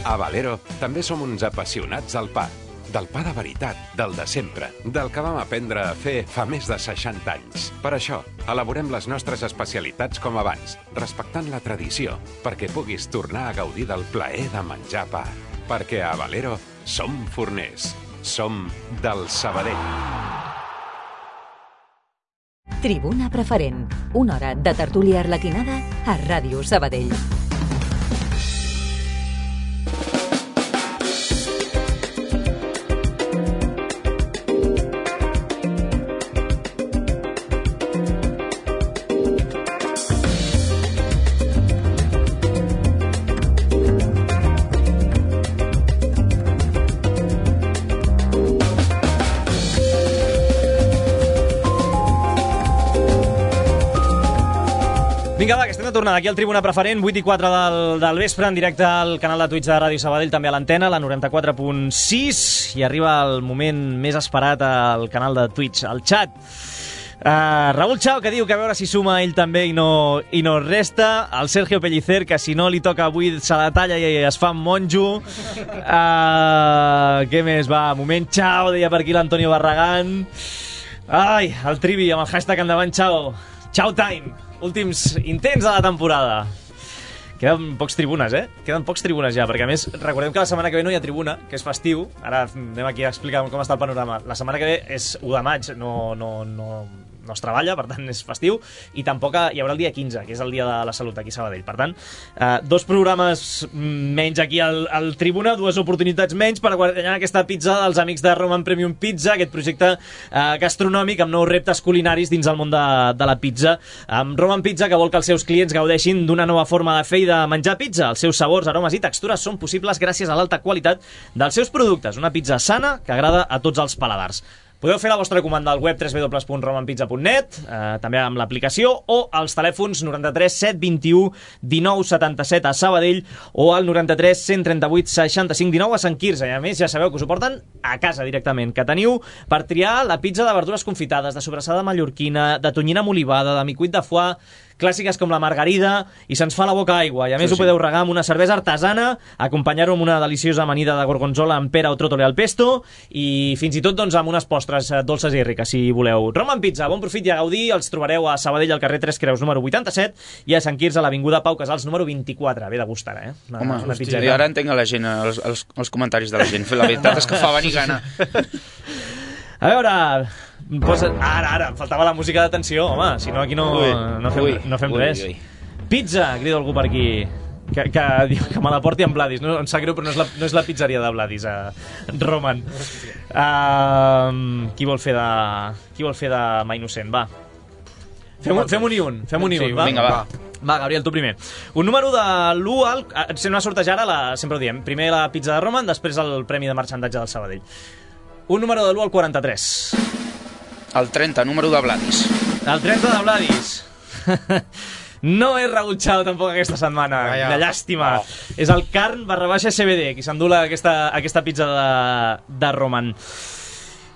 [SPEAKER 6] A Valero també som uns apassionats del pa. Del pa de veritat, del de sempre, del que vam aprendre a fer fa més de 60 anys. Per això, elaborem les nostres especialitats com abans, respectant la tradició, perquè puguis tornar a gaudir del plaer de menjar pa. Perquè a Valero som forners. Som del Sabadell.
[SPEAKER 1] Tribuna Preferent. Una hora de tertúlia arlequinada a Ràdio Sabadell.
[SPEAKER 2] Vinga, va, que estem de tornada aquí al Tribuna Preferent, 8:04 del vespre, en directe al canal de Twitch de Ràdio Sabadell, també a l'antena, la 94.6, i arriba el moment més esperat al canal de Twitch, al xat. Raúl Chao, que diu que a veure si suma ell també i no resta. El Sergio Pellicer, que si no li toca avui se la talla i es fa monjo. Què més? Va, moment Chao, deia per aquí l'Antonio Barragán. Ai, el Trivi amb el hashtag endavant Chao. Chao time. Últims intents de la temporada. Queden pocs tribunes, Queden pocs tribunes ja, perquè a més recordem que la setmana que ve no hi ha tribuna, que és festiu. Ara anem aquí a explicar com està el panorama. La setmana que ve és 1 de maig, no es treballa, per tant és festiu, i tampoc hi haurà el dia 15, que és el dia de la salut aquí a Sabadell. Per tant, 2 programes menys aquí al Tribuna, 2 oportunitats menys per guanyar aquesta pizza dels amics de Roman Premium Pizza, aquest projecte gastronòmic amb nous reptes culinaris dins el món de la pizza. Amb Roman Pizza, que vol que els seus clients gaudeixin d'una nova forma de fer i de menjar pizza. Els seus sabors, aromes i textures són possibles gràcies a l'alta qualitat dels seus productes. Una pizza sana que agrada a tots els paladars. Podeu fer la vostra comanda al web www.romanpizza.net, també amb l'aplicació, o als telèfons 93 721 19 77 a Sabadell o al 93 138 65 19 a Sant Quirze. I a més ja sabeu que us ho porten a casa directament, que teniu per triar la pizza de verdures confitades, de sobrassada mallorquina, de tonyina molivada, de micuit de foie, clàssiques com la margarida, i se'ns fa la boca aigua. I a més ho podeu regar amb una cervesa artesana, acompanyar-ho amb una deliciosa amanida de gorgonzola amb pera o trótole al pesto, i fins i tot doncs, amb unes postres dolces i riques, si voleu. Roman Pizza, bon profit i a gaudir. Els trobareu a Sabadell, al carrer 3 Creus, número 87, i a Sant Quirze, a l'avinguda Pau Casals, número 24. Ve de gust ara,
[SPEAKER 4] Home, i ara entenc a la gent, els comentaris de la gent. La veritat és que fa venir gana.
[SPEAKER 2] A veure... Ara, em faltava la música d'atenció, home, si no aquí no fem res. Pizza, crida algú per aquí, que diu que me la porti amb Vladis. No, em sap greu, però no és la pizzeria de Vladis, Roman. Qui vol fer de mà innocent? Va. Fem-ho ni un, va?
[SPEAKER 4] Vinga, va.
[SPEAKER 2] Va, Gabriel, tu primer. Un número de l'1 al... Si no sortejar ara, sempre ho diem. Primer la pizza de Roman, després el premi de marxandatge del Sabadell. Un número de l'1 al 43.
[SPEAKER 4] El 30, número de Vladis.
[SPEAKER 2] El 30 de Vladis. No és Raúl Chao tampoc aquesta setmana. De llàstima. És el Carn /CBD, qui s'endú aquesta pizza de Roman.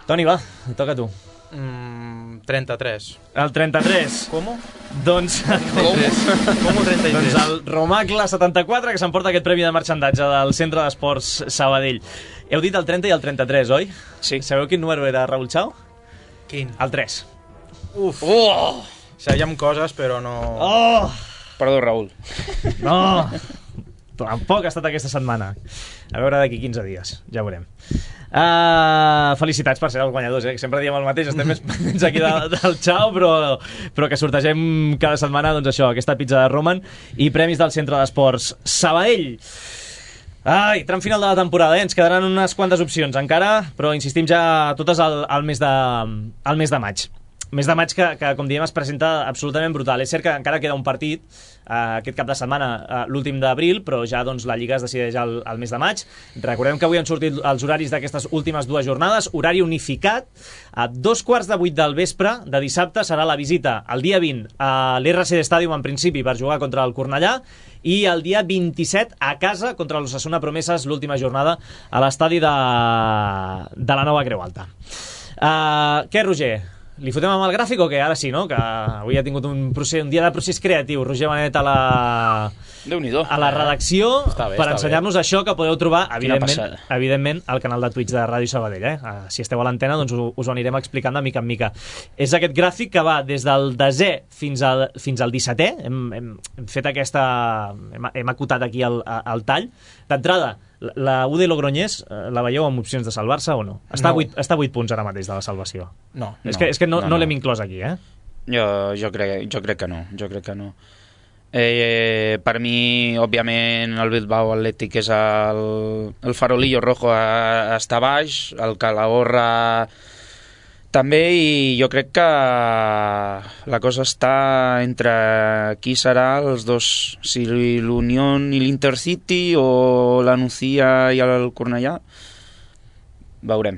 [SPEAKER 2] Toni, va, toca tu.
[SPEAKER 3] 33.
[SPEAKER 2] El 33.
[SPEAKER 3] Com?
[SPEAKER 2] Doncs...
[SPEAKER 3] Com 33?
[SPEAKER 2] Doncs el Romacle 74, que s'emporta aquest premi de marxandatge del Centre d'Esports Sabadell. Heu dit el 30 i el 33, oi?
[SPEAKER 4] Sí.
[SPEAKER 2] Sabeu quin número era Raúl Chao?
[SPEAKER 3] Quin?
[SPEAKER 2] El 3.
[SPEAKER 3] Uf. Sabíem coses, però no...
[SPEAKER 4] Perdó, Raúl.
[SPEAKER 2] No! Tampoc ha estat aquesta setmana. A veure d'aquí 15 dies, ja veurem. Felicitats per ser els guanyadors, que sempre diem el mateix, estem més pendents aquí del Chao, però que sortegem cada setmana, doncs això, aquesta pizza de Roman i premis del Centre d'Esports Sabadell. Tram final de la temporada, ens quedaran unes quantes opcions encara, però insistim ja totes al mes de maig. Mes de maig que, com diem, es presenta absolutament brutal. És cert que encara queda un partit aquest cap de setmana, l'últim d'abril, però ja doncs, la Lliga es decideix al mes de maig. Recordem que avui han sortit els horaris d'aquestes últimes 2 jornades, horari unificat. A 2:15 del vespre de dissabte serà la visita el dia 20 a l'RCD Stadium, en principi, per jugar contra el Cornellà, i el dia 27 a casa contra l'Osasuna Promeses, l'última jornada a l'estadi de la Nova Creu Alta. Què, Roger? Li fotem amb el gràfic o què? Ara sí, no? Que avui ha tingut un dia de procés creatiu. Roger Benet a la redacció per ensenyar-nos això, que podeu trobar, evidentment, al canal de Twitch de Ràdio Sabadell. Si esteu a l'antena, doncs us ho anirem explicant de mica en mica. És aquest gràfic que va des del desè fins al 17è. Hem fet hem acotat aquí el tall. D'entrada, la UD Logroñés la veieu amb opcions de salvar-se o no? Està a 8 punts ara mateix de la salvació.
[SPEAKER 3] No.
[SPEAKER 2] És que no l'hem inclòs aquí,
[SPEAKER 4] Jo crec que no. Per mi, òbviament, el Bilbao Atlètic és el farolillo rojo està baix, el Calahorra també, i jo crec que la cosa està entre qui serà els dos, si l'Unión i l'Intercity o la Nucía i el Cornellà. Veurem.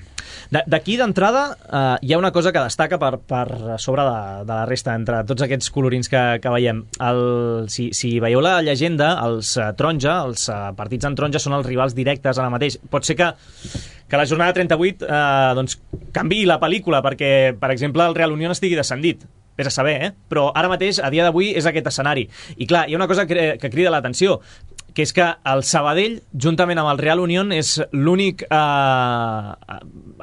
[SPEAKER 2] D'aquí, d'entrada, hi ha una cosa que destaca per sobre de la resta, entre tots aquests colorins que veiem. Si veieu la llegenda, els taronja, els partits en taronja són els rivals directes ara mateix. Pot ser que que la jornada 38 doncs, canviï la pel·lícula perquè, per exemple, el Real Unión estigui descendit. Vés a saber, però ara mateix, a dia d'avui, és aquest escenari. I clar, hi ha una cosa que crida l'atenció, que és que el Sabadell, juntament amb el Real Unión, és l'únic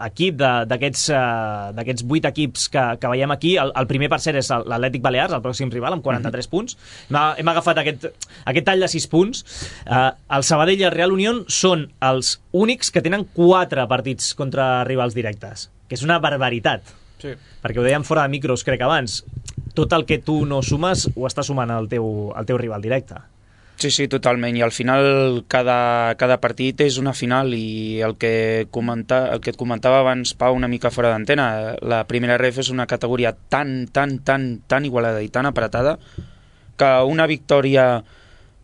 [SPEAKER 2] equip d'aquests 8 equips que veiem aquí. El primer, per cert, és l'Atlètic Balears, el pròxim rival, amb 43 punts. Hem agafat aquest tall de 6 punts. El Sabadell i el Real Unión són els únics que tenen 4 partits contra rivals directes, que és una barbaritat.
[SPEAKER 3] Sí.
[SPEAKER 2] Perquè ho dèiem fora de micros, crec, abans. Tot el que tu no sumes ho està sumant el teu rival directe.
[SPEAKER 4] Sí, totalment, i al final cada partit és una final, i el que et comentava abans, Pau, una mica fora d'antena, la primera ref és una categoria tan igualada i tan apretada que una victòria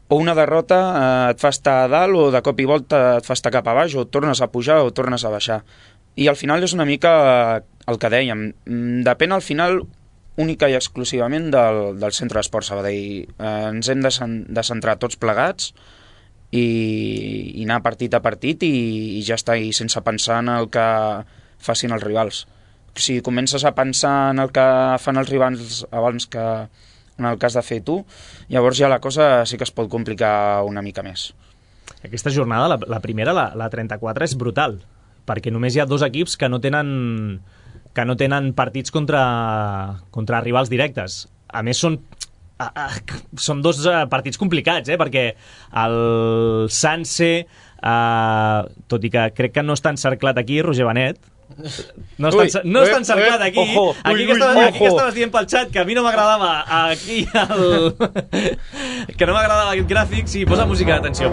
[SPEAKER 4] o una derrota et fa estar a dalt, o de cop i volta et fa estar cap a baix, o tornes a pujar o tornes a baixar. I al final és una mica el que dèiem, depèn al final única i exclusivament del Centre d'Esport Sabadell. Ens hem de centrar tots plegats i anar partit a partit i ja està, i sense pensar en el que facin els rivals. Si comences a pensar en el que fan els rivals abans que en el cas de fer tu, llavors ja la cosa sí que es pot complicar una mica més.
[SPEAKER 2] Aquesta jornada, la primera, la 34, és brutal, perquè només hi ha 2 equips que no tenen partits contra rivals directes. A més, són 2 partits complicats, perquè el Sanse, tot i que crec que no està encerclat aquí, Roger Benet, no està encerclat aquí. Aquí que estaves dient pel xat que a mi no m'agradava aquí que no m'agradava aquest gràfic. Sí, posa música d'atenció.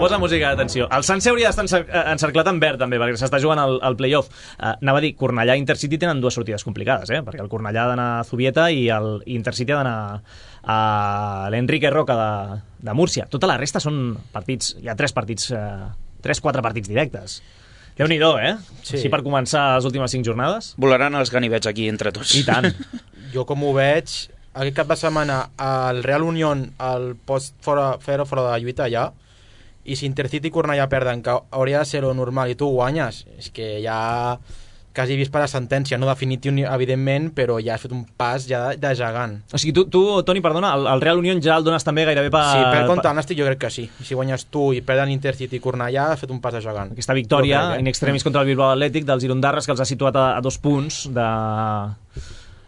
[SPEAKER 2] El Sanse hauria d'estar encerclat en verd també, perquè s'està jugant el playoff. Anava a dir, Cornellà i Intercity tenen 2 sortides complicades, perquè el Cornellà ha d'anar a Zubieta i el Intercity ha d'anar a l'Enrique Roca de Múrcia. Tota la resta són partits, hi ha 3-4 partits directes. Déu-n'hi-do, Sí. Així per començar les últimes 5 jornades.
[SPEAKER 4] Volaran els ganivets aquí entre tots.
[SPEAKER 2] I tant.
[SPEAKER 3] Jo, com ho veig, aquest cap de setmana el Real Unión el pots fora de lluita allà, i si Intercity i Cornellà perden, que hauria de ser lo normal, i tu guanyes, és que ja quasi vist per la sentència, no definitiu evidentment, però ja has fet un pas ja de gegant.
[SPEAKER 2] O sigui, tu Toni, perdona, el Real Unión ja el dones també gairebé per...
[SPEAKER 3] Sí, per contra el Nàstic jo crec que sí. Si guanyes tu i perden Intercity i Cornellà, has fet un pas de gegant.
[SPEAKER 2] Aquesta victòria in extremis contra el Bilbao Atlètic dels Irondarres, que els ha situat a 2 punts de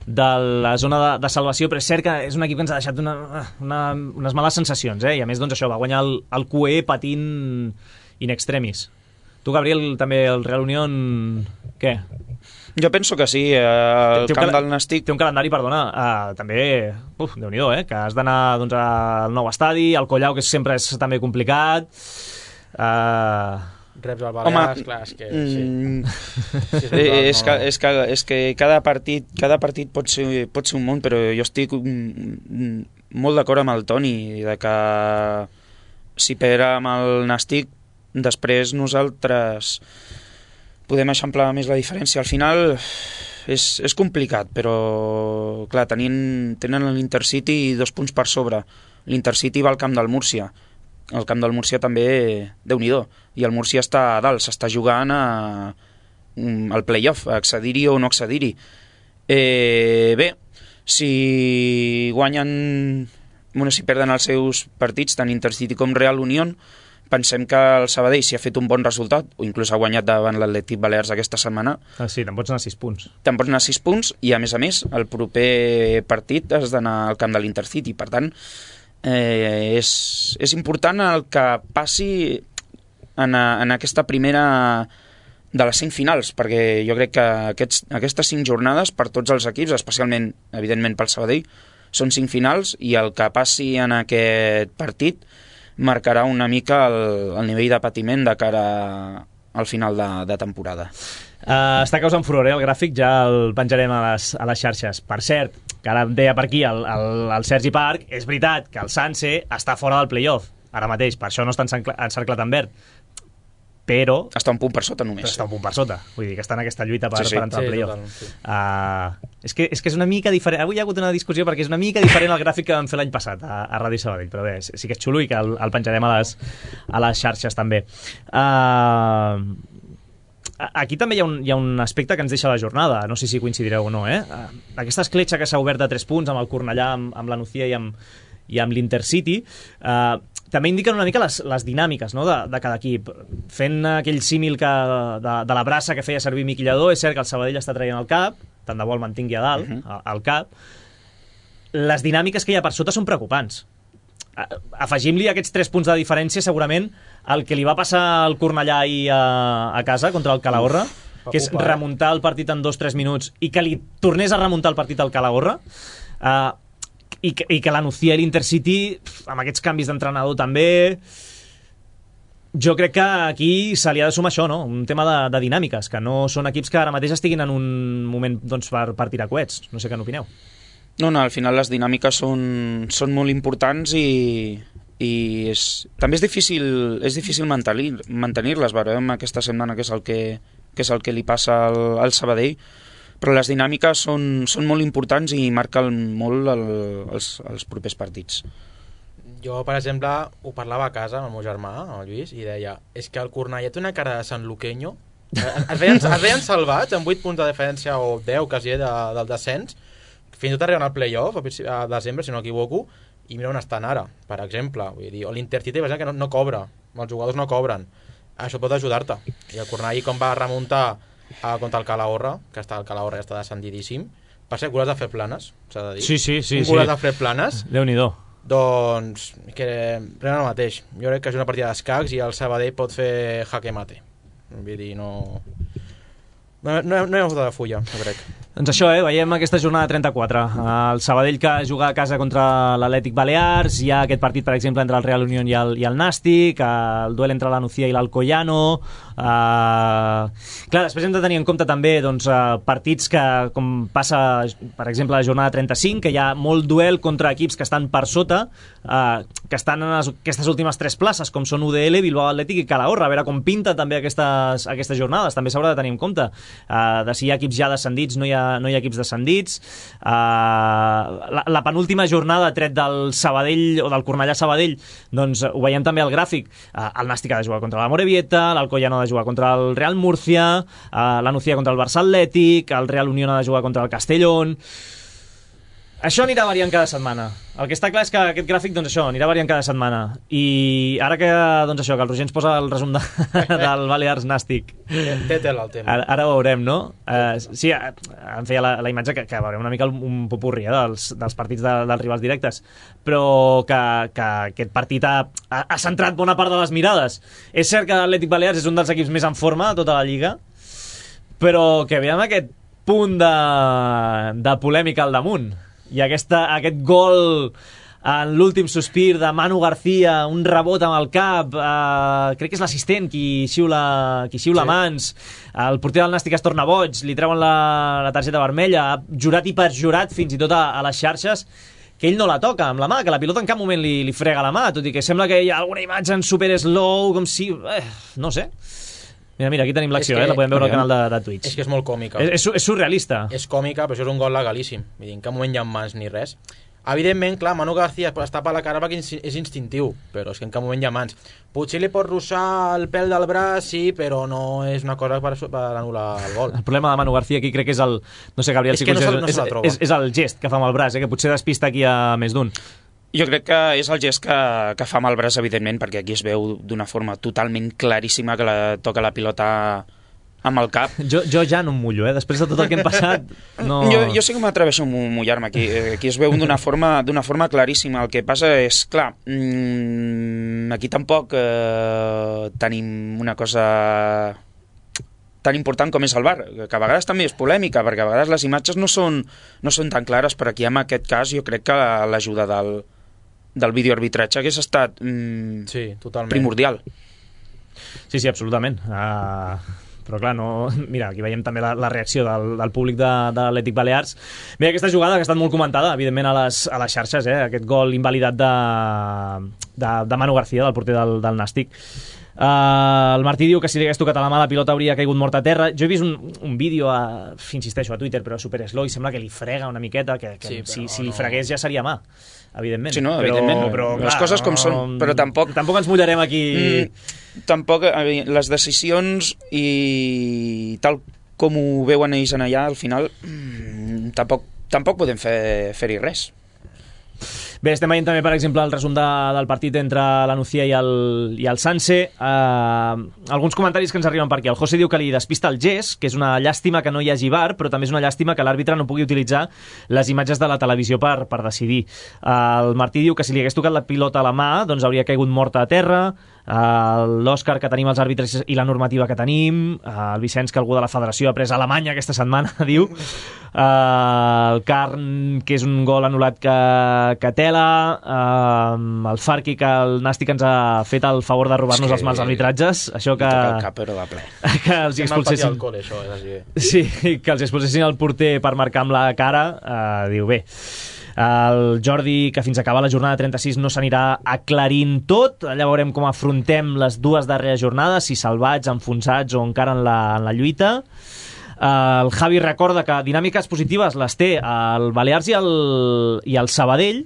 [SPEAKER 2] la zona de salvació, però és cert que és un equip que ens ha deixat unes males sensacions, i a més, doncs això, va guanyar el QE patint in extremis. Tu, Gabriel, també el Real Unión, què?
[SPEAKER 4] Jo penso que sí, el camp del Nàstic...
[SPEAKER 2] Té un calendari, perdona, també, Déu-n'hi-do, que has d'anar doncs, al nou estadi, al Collau, que sempre és també complicat...
[SPEAKER 3] Reps al Balears, clar, és que...
[SPEAKER 4] És que cada partit pot ser un món, però jo estic molt d'acord amb el Toni, de que si perdem el Nàstic, després nosaltres podem eixamplar més la diferència. Al final és complicat, però clar, tenen l'Intercity 2 punts per sobre. L'Intercity va al camp del Múrcia. El camp del Múrcia també, Déu-n'hi-do, i el Múrcia està a dalt, s'està jugant al playoff, a accedir-hi o no accedir-hi. Bé, si perden els seus partits, tant Intercity com Real Unión, pensem que el Sabadell, si ha fet un bon resultat, o inclús ha guanyat davant l'Atlètic Balears aquesta setmana...
[SPEAKER 2] Sí, te'n pots anar 6 punts.
[SPEAKER 4] Te'n pots anar 6 punts, i a més, el proper partit has d'anar al camp de l'Intercity. Per tant, és important el que passi en aquesta primera de les 5 finals, perquè jo crec que aquestes 5 jornades, per tots els equips, especialment, evidentment, pel Sabadell, són 5 finals, i el que passi en aquest partit marcarà una mica el nivell de patiment de cara al final de temporada.
[SPEAKER 2] Està causant furor, el gràfic, ja el penjarem a les xarxes. Per cert, que ara em deia per aquí el Sergi Parc, és veritat que el Sanse està fora del playoff ara mateix, per això no està encerclat en verd, però...
[SPEAKER 4] Està un punt per sota només.
[SPEAKER 2] Està un punt per sota, vull dir que està en aquesta lluita per entrar al playoff. És que és una mica diferent. Avui hi ha hagut una discussió perquè és una mica diferent al gràfic que vam fer l'any passat a Ràdio Sabadell, però bé, sí que és xulo i que el penjarem a les xarxes també. aquí també hi ha un aspecte que ens deixa la jornada, no sé si coincidireu o no, aquesta escletxa que s'ha obert de 3 punts amb el Cornellà, amb la Nucía i amb l'Intercity, també indiquen una mica les dinàmiques, no?, de cada equip. Fent aquell símil de la braça que feia servir Miqui Lladó, és cert que el Sabadell està traient el cap, tant de bo el mantingui a dalt, al cap. Les dinàmiques que hi ha per sota són preocupants. Afegim-li aquests 3 punts de diferència, segurament el que li va passar al Cornellà ahir a casa contra el Calahorra, que és remuntar el partit en 2-3 minuts i que li tornés a remuntar el partit al Calahorra, i que la Nucía i l'Intercity, amb aquests canvis d'entrenador també, jo crec que aquí se li ha de sumar això, no? Un tema de dinàmiques, que no són equips que ara mateix estiguin en un moment, doncs, per tirar coets. No sé què n'opineu.
[SPEAKER 4] No, al final les dinàmiques són molt importants i també és difícil mantenir-les. Veurem aquesta setmana què és el que li passa al Sabadell, però les dinàmiques són molt importants i marquen molt els propers partits.
[SPEAKER 3] Jo, per exemple, ho parlava a casa amb el meu germà, el Lluís, i deia, és que el Cornellà té una cara de San Luqueño. Es veien salvats amb 8 punts de diferència o 10 quasi del descens, fins i tot arriben al playoff a desembre, si no m'equivoco, i mira on estan ara, per exemple. Vull dir, o l'Intercity, que no cobra, els jugadors no cobren. Això pot ajudar-te. I el Cornellà, com va remuntar contra el Calahorra, que el Calahorra ja està descendidíssim. Per ser goles de fer planes, s'ha de dir.
[SPEAKER 2] Sí.
[SPEAKER 3] Goles de fer planes.
[SPEAKER 2] Déu-n'hi-do.
[SPEAKER 3] Doncs, que pren el mateix. Jo crec que és una partida d'escacs i el Sabadell pot fer jaque mate. Vull dir, no hi ha foto de fulla, jo crec.
[SPEAKER 2] Doncs això, veiem aquesta jornada 34. El Sabadell que juga a casa contra l'Atlètic Balears, hi ha aquest partit, per exemple, entre el Real Unión i el Nàstic, el duel entre la Nucía i l'Alcoyano. Clar, després hem de tenir en compte també partits que, com passa, per exemple, la jornada 35, que hi ha molt duel contra equips que estan per sota, que estan en aquestes últimes 3 places, com són UDL, Bilbao Atlètic i Calahorra. A veure com pinta també aquestes jornades, també s'haurà de tenir en compte. De si hi ha equips ja descendits, no hi ha equips descendits. La penúltima jornada, tret del Sabadell o del Cornellà Sabadell, doncs ho veiem també al gràfic. El Nàstic ha de jugar contra la Morevieta, l'Alcoyano ha de jugar contra el Real Murcia, la Nucía contra el Barça Atlètic, el Real Unión ha de jugar contra el Castellón. Això anirà variant cada setmana. El que està clar és que aquest gràfic, doncs això, anirà variant cada setmana. I ara que, doncs això, que el Roger ens posa el resum del Balears Nàstic.
[SPEAKER 3] Té tela el tema.
[SPEAKER 2] Ara ho veurem, no? Sí, em feia la imatge que veurem una mica un popurri dels partits dels rivals directes, però que aquest partit ha centrat bona part de les mirades. És cert que l'Atlètic Balears és un dels equips més en forma de tota la Lliga, però que veiem aquest punt de polèmica al damunt. I aquest gol en l'últim sospir de Manu García, un rebot amb el cap, crec que és l'assistent qui xiula mans, el porter del Nàstic es torna boig, li treuen la targeta vermella, jurat i perjurat fins i tot a les xarxes, que ell no la toca amb la mà, que la pilota en cap moment li frega la mà, tot i que sembla que hi ha alguna imatge en super slow, com si... no sé. Mira, aquí tenim l'acció, la podem veure al canal de Twitch.
[SPEAKER 3] És que és molt còmica.
[SPEAKER 2] És surrealista.
[SPEAKER 3] És còmica, però això és un gol legalíssim. Vull dir, en cap moment hi ha mans ni res. Evidentment, clar, Manu García es tapa la cara perquè és instintiu, però és que en cap moment hi ha mans. Potser li pot russar el pèl del braç, sí, però no és una cosa per anul·lar el gol.
[SPEAKER 2] El problema de Manu García aquí crec que és el... No sé, Gabriel,
[SPEAKER 3] és que
[SPEAKER 2] és el gest que fa amb el braç, que potser despista aquí a més d'un.
[SPEAKER 4] Jo crec que és el gest que fa amb el braç, evidentment, perquè aquí es veu d'una forma totalment claríssima que toca la pilota amb el cap.
[SPEAKER 2] Jo ja no em mullo, després de tot el que hem passat. No...
[SPEAKER 4] Jo sí que m'atreveixo a mullar-me aquí. Aquí es veu d'una forma claríssima. El que passa és, clar, aquí tampoc tenim una cosa tan important com és el VAR, que a vegades també és polèmica, perquè a vegades les imatges no són tan clares, però aquí en aquest cas jo crec que l'ajuda del videoarbitratge hagués estat primordial.
[SPEAKER 2] Sí, absolutament. Però clar, no... Mira, aquí veiem també la reacció del públic de l'Atlètic Balears. Bé, aquesta jugada que ha estat molt comentada, evidentment, a les xarxes, aquest gol invalidat de Manu García, del porter del Nàstic. El Martí diu que si li hagués tocat a la mà la pilota hauria caigut mort a terra. Jo he vist un vídeo, insisteixo, a Twitter, però super slow, i sembla que li frega una miqueta, que
[SPEAKER 3] Sí,
[SPEAKER 2] si li fregués ja seria mà, evidentment.
[SPEAKER 4] Sí, no, evidentment.
[SPEAKER 2] Però,
[SPEAKER 4] Les coses com són, però tampoc
[SPEAKER 2] ens mullarem aquí.
[SPEAKER 4] Tampoc, les decisions i tal com ho veuen ells en allà, al final tampoc podem fer-hi res.
[SPEAKER 2] Bé, estem veient també, per exemple, el resum del partit entre la Nucía i el Sanse. Alguns comentaris que ens arriben per aquí. El José diu que li despista el gest, que és una llàstima que no hi hagi VAR, però també és una llàstima que l'àrbitre no pugui utilitzar les imatges de la televisió per decidir. El Martí diu que si li hagués tocat la pilota a la mà, doncs hauria caigut morta a terra. L'Òscar, que tenim els àrbitres i la normativa que tenim. El Vicenç, que algú de la federació ha pres a Alemanya aquesta setmana, diu. El Carn, que és un gol anul·lat que tela. El Farqui, que el Nàstic ens ha fet el favor de robar-nos els mals arbitratges. Això que...
[SPEAKER 4] El cap, però de ple.
[SPEAKER 2] Que els expulsessin... Sí, que els expulsessin el porter per marcar amb la cara. Diu, bé... El Jordi, que fins a acabar la jornada 36 no s'anirà aclarint tot. Allà veurem com afrontem les dues darreres jornades, si salvats, enfonsats o encara en la lluita. El Javi recorda que dinàmiques positives les té el Balears i el Sabadell.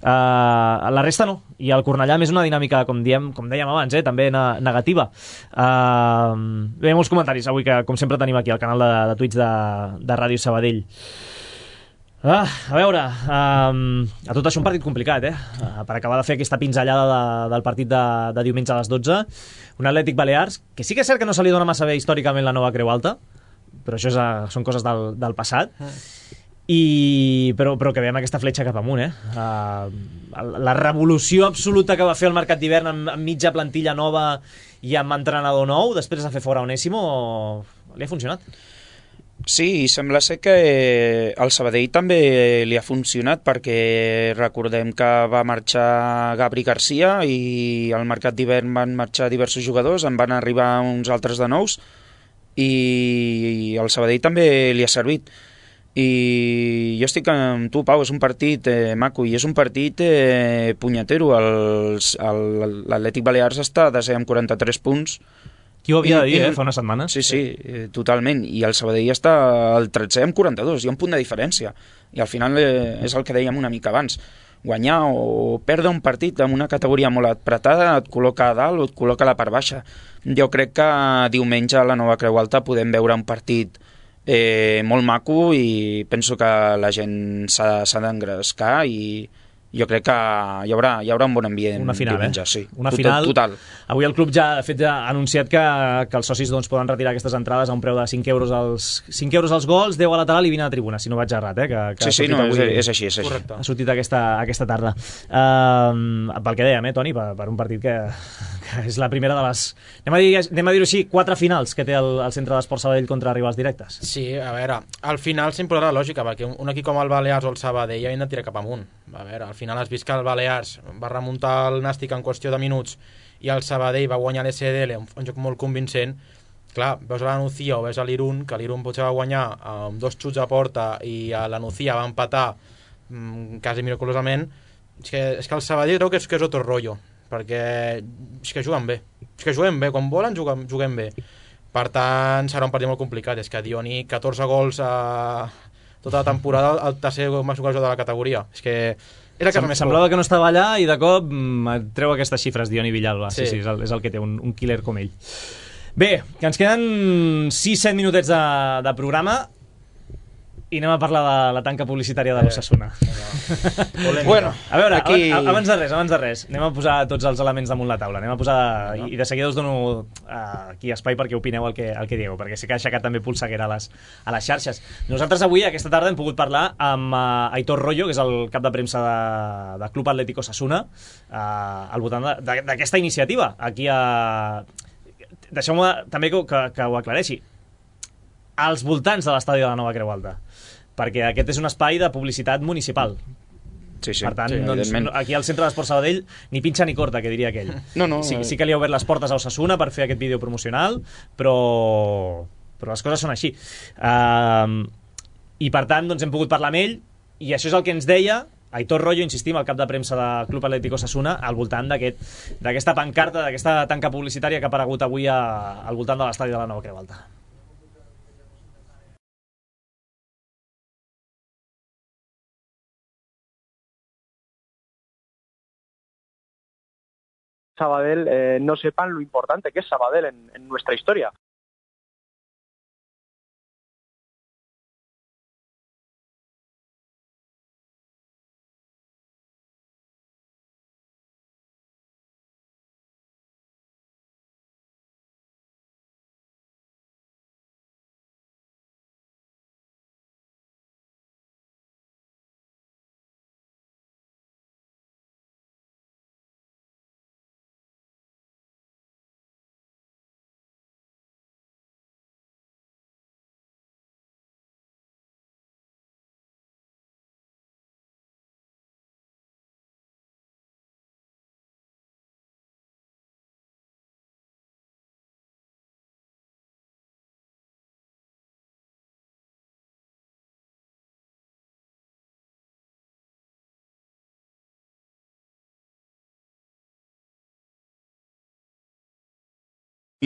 [SPEAKER 2] La resta no, i el Cornellà més una dinàmica, com dèiem abans, també negativa. Bé, molts comentaris avui, que com sempre tenim aquí al canal de Twitch de Ràdio Sabadell. A veure, a tot això un partit complicat, per acabar de fer aquesta pinzellada del partit de diumenge a les 12. Un Atlètic Balears, que sí que és cert que no se li dona massa bé històricament la nova Creu Alta, però això són coses del passat. Però que veiem aquesta fletxa cap amunt, la revolució absoluta que va fer el mercat d'hivern amb mitja plantilla nova i amb entrenador nou, després de fer fora Onésimo, li ha funcionat.
[SPEAKER 4] Sí, sembla ser que al Sabadell també li ha funcionat, perquè recordem que va marxar Gabri Garcia i al mercat d'hivern van marxar diversos jugadors, en van arribar uns altres de nous, i al Sabadell també li ha servit. I jo estic amb tu, Pau, és un partit maco i és un partit punyetero. L'Atlètic Balears està a desè amb 43 punts.
[SPEAKER 2] Qui ho havia de dir, fa una setmana?
[SPEAKER 4] Sí, totalment. I el Sabadell està al 13è amb 42, hi ha un punt de diferència. I al final és el que dèiem una mica abans. Guanyar o perdre un partit en una categoria molt apretada et col·loca a dalt o et col·loca a la part baixa. Jo crec que diumenge a la Nova Creu Alta podem veure un partit molt maco, i penso que la gent s'ha d'engrescar, i jo crec que hi haurà un bon ambient.
[SPEAKER 2] Una final,
[SPEAKER 4] diumenge, sí.
[SPEAKER 2] Una final.
[SPEAKER 4] Total.
[SPEAKER 2] Avui el club ja ha anunciat que els socis poden retirar aquestes entrades a un preu de 5 euros als gols, 10 a lateral i 20 a la tribuna, si no vaig errat,
[SPEAKER 4] Sí, no, és així.
[SPEAKER 2] Ha sortit aquesta tarda. Pel que dèiem, Toni, per un partit que és la primera de les... Anem a dir-ho així, 4 finals que té el Centre d'Esport Sabadell contra rivals directes.
[SPEAKER 3] Sí, a veure, al final sempre la lògica, perquè un equip com el Balears o el Sabadell havien de tirar cap amunt. A veure, al final has vist que el Balears va remuntar el Nàstic en qüestió de minuts i el Sabadell va guanyar l'SDL, un joc molt convincent. Clar, veus a la Nucía o veus a l'Irun, que l'Irun potser va guanyar amb 2 xuts a porta i a la Nucía va empatar quasi miraculosament. És que el Sabadell creu que és otro rotllo, perquè és que juguen bé. Quan volen juguem bé. Per tant, serà un partit molt complicat. És que Dioni, 14 gols a tota la temporada, el tercer màxim goleador de la categoria. És que és el que més
[SPEAKER 2] semblava que no estava allà i de cop treu aquestes xifres Dioni Villalba. Sí, és el que té, un killer com ell. Bé, que ens queden 6-7 minutets de programa i anem a parlar de la tanca publicitària de l'Osasuna.
[SPEAKER 4] Bueno,
[SPEAKER 2] a veure,
[SPEAKER 4] aquí...
[SPEAKER 2] abans de res, anem a posar tots els elements damunt la taula. Anem a posar, i de seguida us dono aquí espai perquè opineu el que dieu, perquè sé que ha aixecat també polseguera a les xarxes. Nosaltres avui, aquesta tarda, hem pogut parlar amb Aitor Rollo, que és el cap de premsa de Club Atlético Osasuna, al voltant d'aquesta iniciativa. Aquí deixeu-me també que ho aclareixi. Als voltants de l'estadi de la Nova Creu Alta, perquè aquest és un espai de publicitat municipal.
[SPEAKER 4] Sí,
[SPEAKER 2] per tant, aquí al Centre d'Esport Sabadell ni pinxa ni corta, que diria aquell.
[SPEAKER 4] No.
[SPEAKER 2] Sí que li ha obert les portes a Osasuna per fer aquest vídeo promocional, però les coses són així. I per tant, hem pogut parlar amb ell, i això és el que ens deia Aitor Royo, insistim, el cap de premsa del Club Atlético Osasuna, al voltant d'aquesta pancarta, d'aquesta tanca publicitària que ha aparegut avui al voltant de l'estadi de la Nova Creu Alta.
[SPEAKER 7] Sabadell no sepan lo importante que es Sabadell en nuestra historia.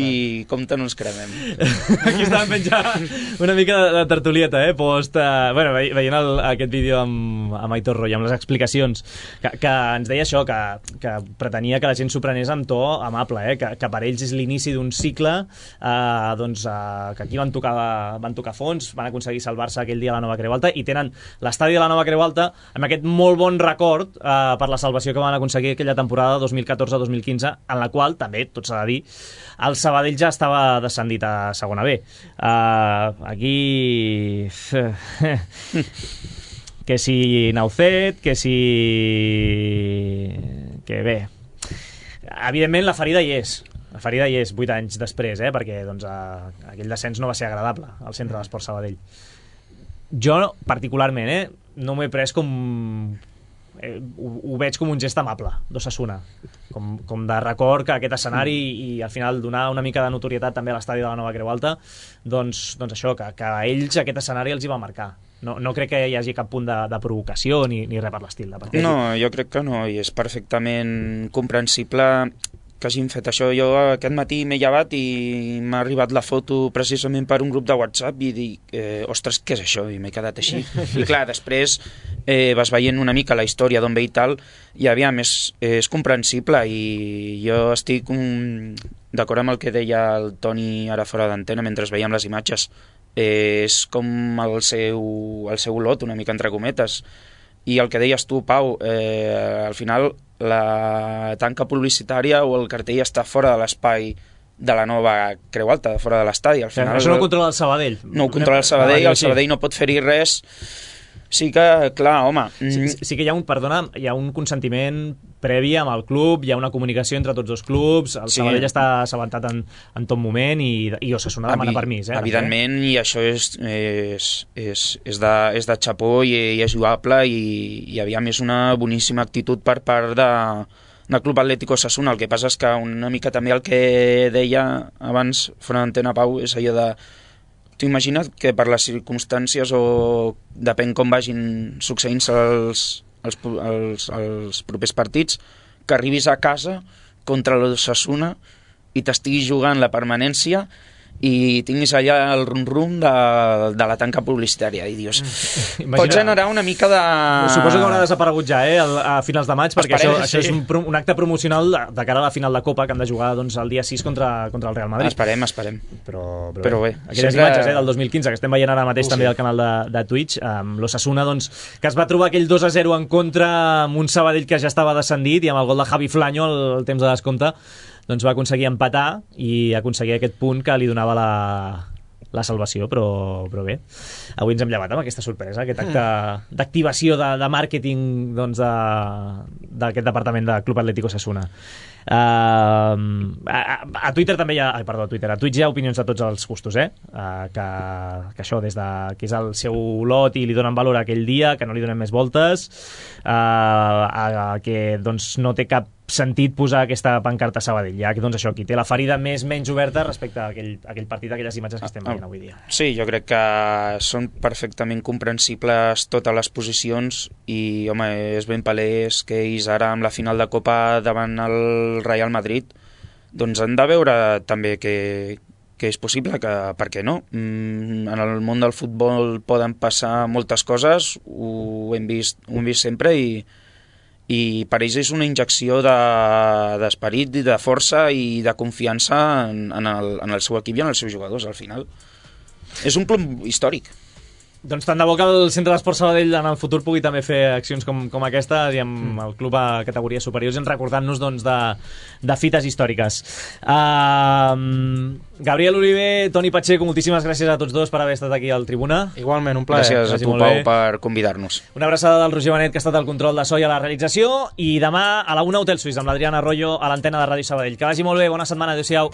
[SPEAKER 4] I compte no ens cremem.
[SPEAKER 2] Aquí estàvem fent ja una mica de tertulieta, post, bueno, veient aquest vídeo amb Aitor Royo, amb les explicacions, que ens deia això, que pretenia que la gent s'ho prenés amb to amable, que per ells és l'inici d'un cicle, doncs, que aquí van tocar fons, van aconseguir salvar-se aquell dia a la Nova Creu Alta, i tenen l'estadi de la Nova Creu Alta amb aquest molt bon record per la salvació que van aconseguir aquella temporada 2014-2015, en la qual, també, tot s'ha de dir, el Sabadell ja estava descendit a segona B. Aquí... que si Naucet, que si... que bé... Evidentment la ferida hi és. La ferida hi és 8 anys després, perquè doncs, aquell descens no va ser agradable al centre de l'Esport Sabadell. Jo, particularment, no m'ho he pres com... ho veig com un gest amable d'Osasuna, com de record que aquest escenari i al final donar una mica de notorietat també a l'estadi de la Nova Creu Alta, doncs això, que a ells aquest escenari els hi va marcar. No crec que hi hagi cap punt de provocació ni res per l'estil.
[SPEAKER 4] No, jo crec que no, i és perfectament comprensible que hagin fet això. Jo aquest matí m'he llevat i m'ha arribat la foto precisament per un grup de WhatsApp i dic, ostres, què és això? I m'he quedat així. I clar, després vas veient una mica la història d'on ve i tal, i aviam, és comprensible, i jo estic d'acord amb el que deia el Toni ara fora d'antena mentre veiem les imatges. És com el seu lot, una mica entre cometes. I el que deies tu, Pau, al final la tanca publicitària o el cartell està fora de l'espai de la Nova Creu Alta, fora de l'estadi. Al final,
[SPEAKER 2] això no ho controla el Sabadell.
[SPEAKER 4] No ho controla el Sabadell, el Sabadell no pot fer-hi res. Sí que, clar, home...
[SPEAKER 2] Sí que hi ha un consentiment previ amb el club, hi ha una comunicació entre tots dos clubs, el Sabadell està assabentat en tot moment i Osasuna demana permís.
[SPEAKER 4] Evidentment, i això és de xapó i és lloable, i aviam, és una boníssima actitud per part del Club Atlético Osasuna. El que passa és que una mica també el que deia abans fora d'antena, Pau, és allò de... T'ho imagina't que per les circumstàncies o depèn com vagin succeint-se els propers partits, que arribis a casa contra l'Osasuna i t'estiguis jugant la permanència i tinguis allà el rum-rum de la tanca publicitària i dius, pot generar una mica de...
[SPEAKER 2] Suposo que haurà desaparegut ja a finals de maig, perquè això és un acte promocional de cara a la final de Copa que han de jugar el dia 6 contra el Real Madrid.
[SPEAKER 4] Esperem.
[SPEAKER 2] Però bé, aquelles imatges del 2015 que estem veient ara mateix també al canal de Twitch, amb l'Osasuna que es va trobar aquell 2-0 en contra amb un Sabadell que ja estava descendit, i amb el gol de Javi Flaño al temps de descompte doncs va aconseguir empatar i aconseguir aquest punt que li donava la salvació, però bé, avui ens hem llevat amb aquesta sorpresa, aquest acte d'activació de màrqueting d'aquest departament de Club Atlético Osasuna. A Twitter també hi ha... a Twitch hi ha opinions de tots els gustos, que això, des de que és el seu lot i li donen valor a aquell dia, que no li donen més voltes, que doncs no té cap sentit posar aquesta pancarta a Sabadell. Ja que, doncs, això, qui té la ferida menys oberta respecte a aquell partit, aquelles imatges que estem veient avui dia.
[SPEAKER 4] Sí, jo crec que són perfectament comprensibles totes les posicions i, home, és ben palès que ells ara amb la final de Copa davant el Real Madrid doncs han de veure també que és possible, que per què no? En el món del futbol poden passar moltes coses, ho hem vist sempre i per ells és una injecció d'esperit, de força i de confiança en el seu equip i en els seus jugadors al final. És un plom històric.
[SPEAKER 2] Doncs tant de bo que el Centre d'Esport Sabadell en el futur pugui també fer accions com aquesta i amb el club a categories superiors i recordant-nos doncs, de fites històriques. Gabriel Oliver, Toni Pacheco, moltíssimes gràcies a tots dos per haver estat aquí al Tribuna.
[SPEAKER 3] Igualment, un plaer.
[SPEAKER 4] Gràcies a tu, Pau, per convidar-nos.
[SPEAKER 2] Una abraçada del Roger Benet, que ha estat el control de so i a la realització, i demà a la 1 Hotel Suís amb l'Adriana Arroyo a l'antena de Ràdio Sabadell. Que vagi molt bé, bona setmana, adéu-siau.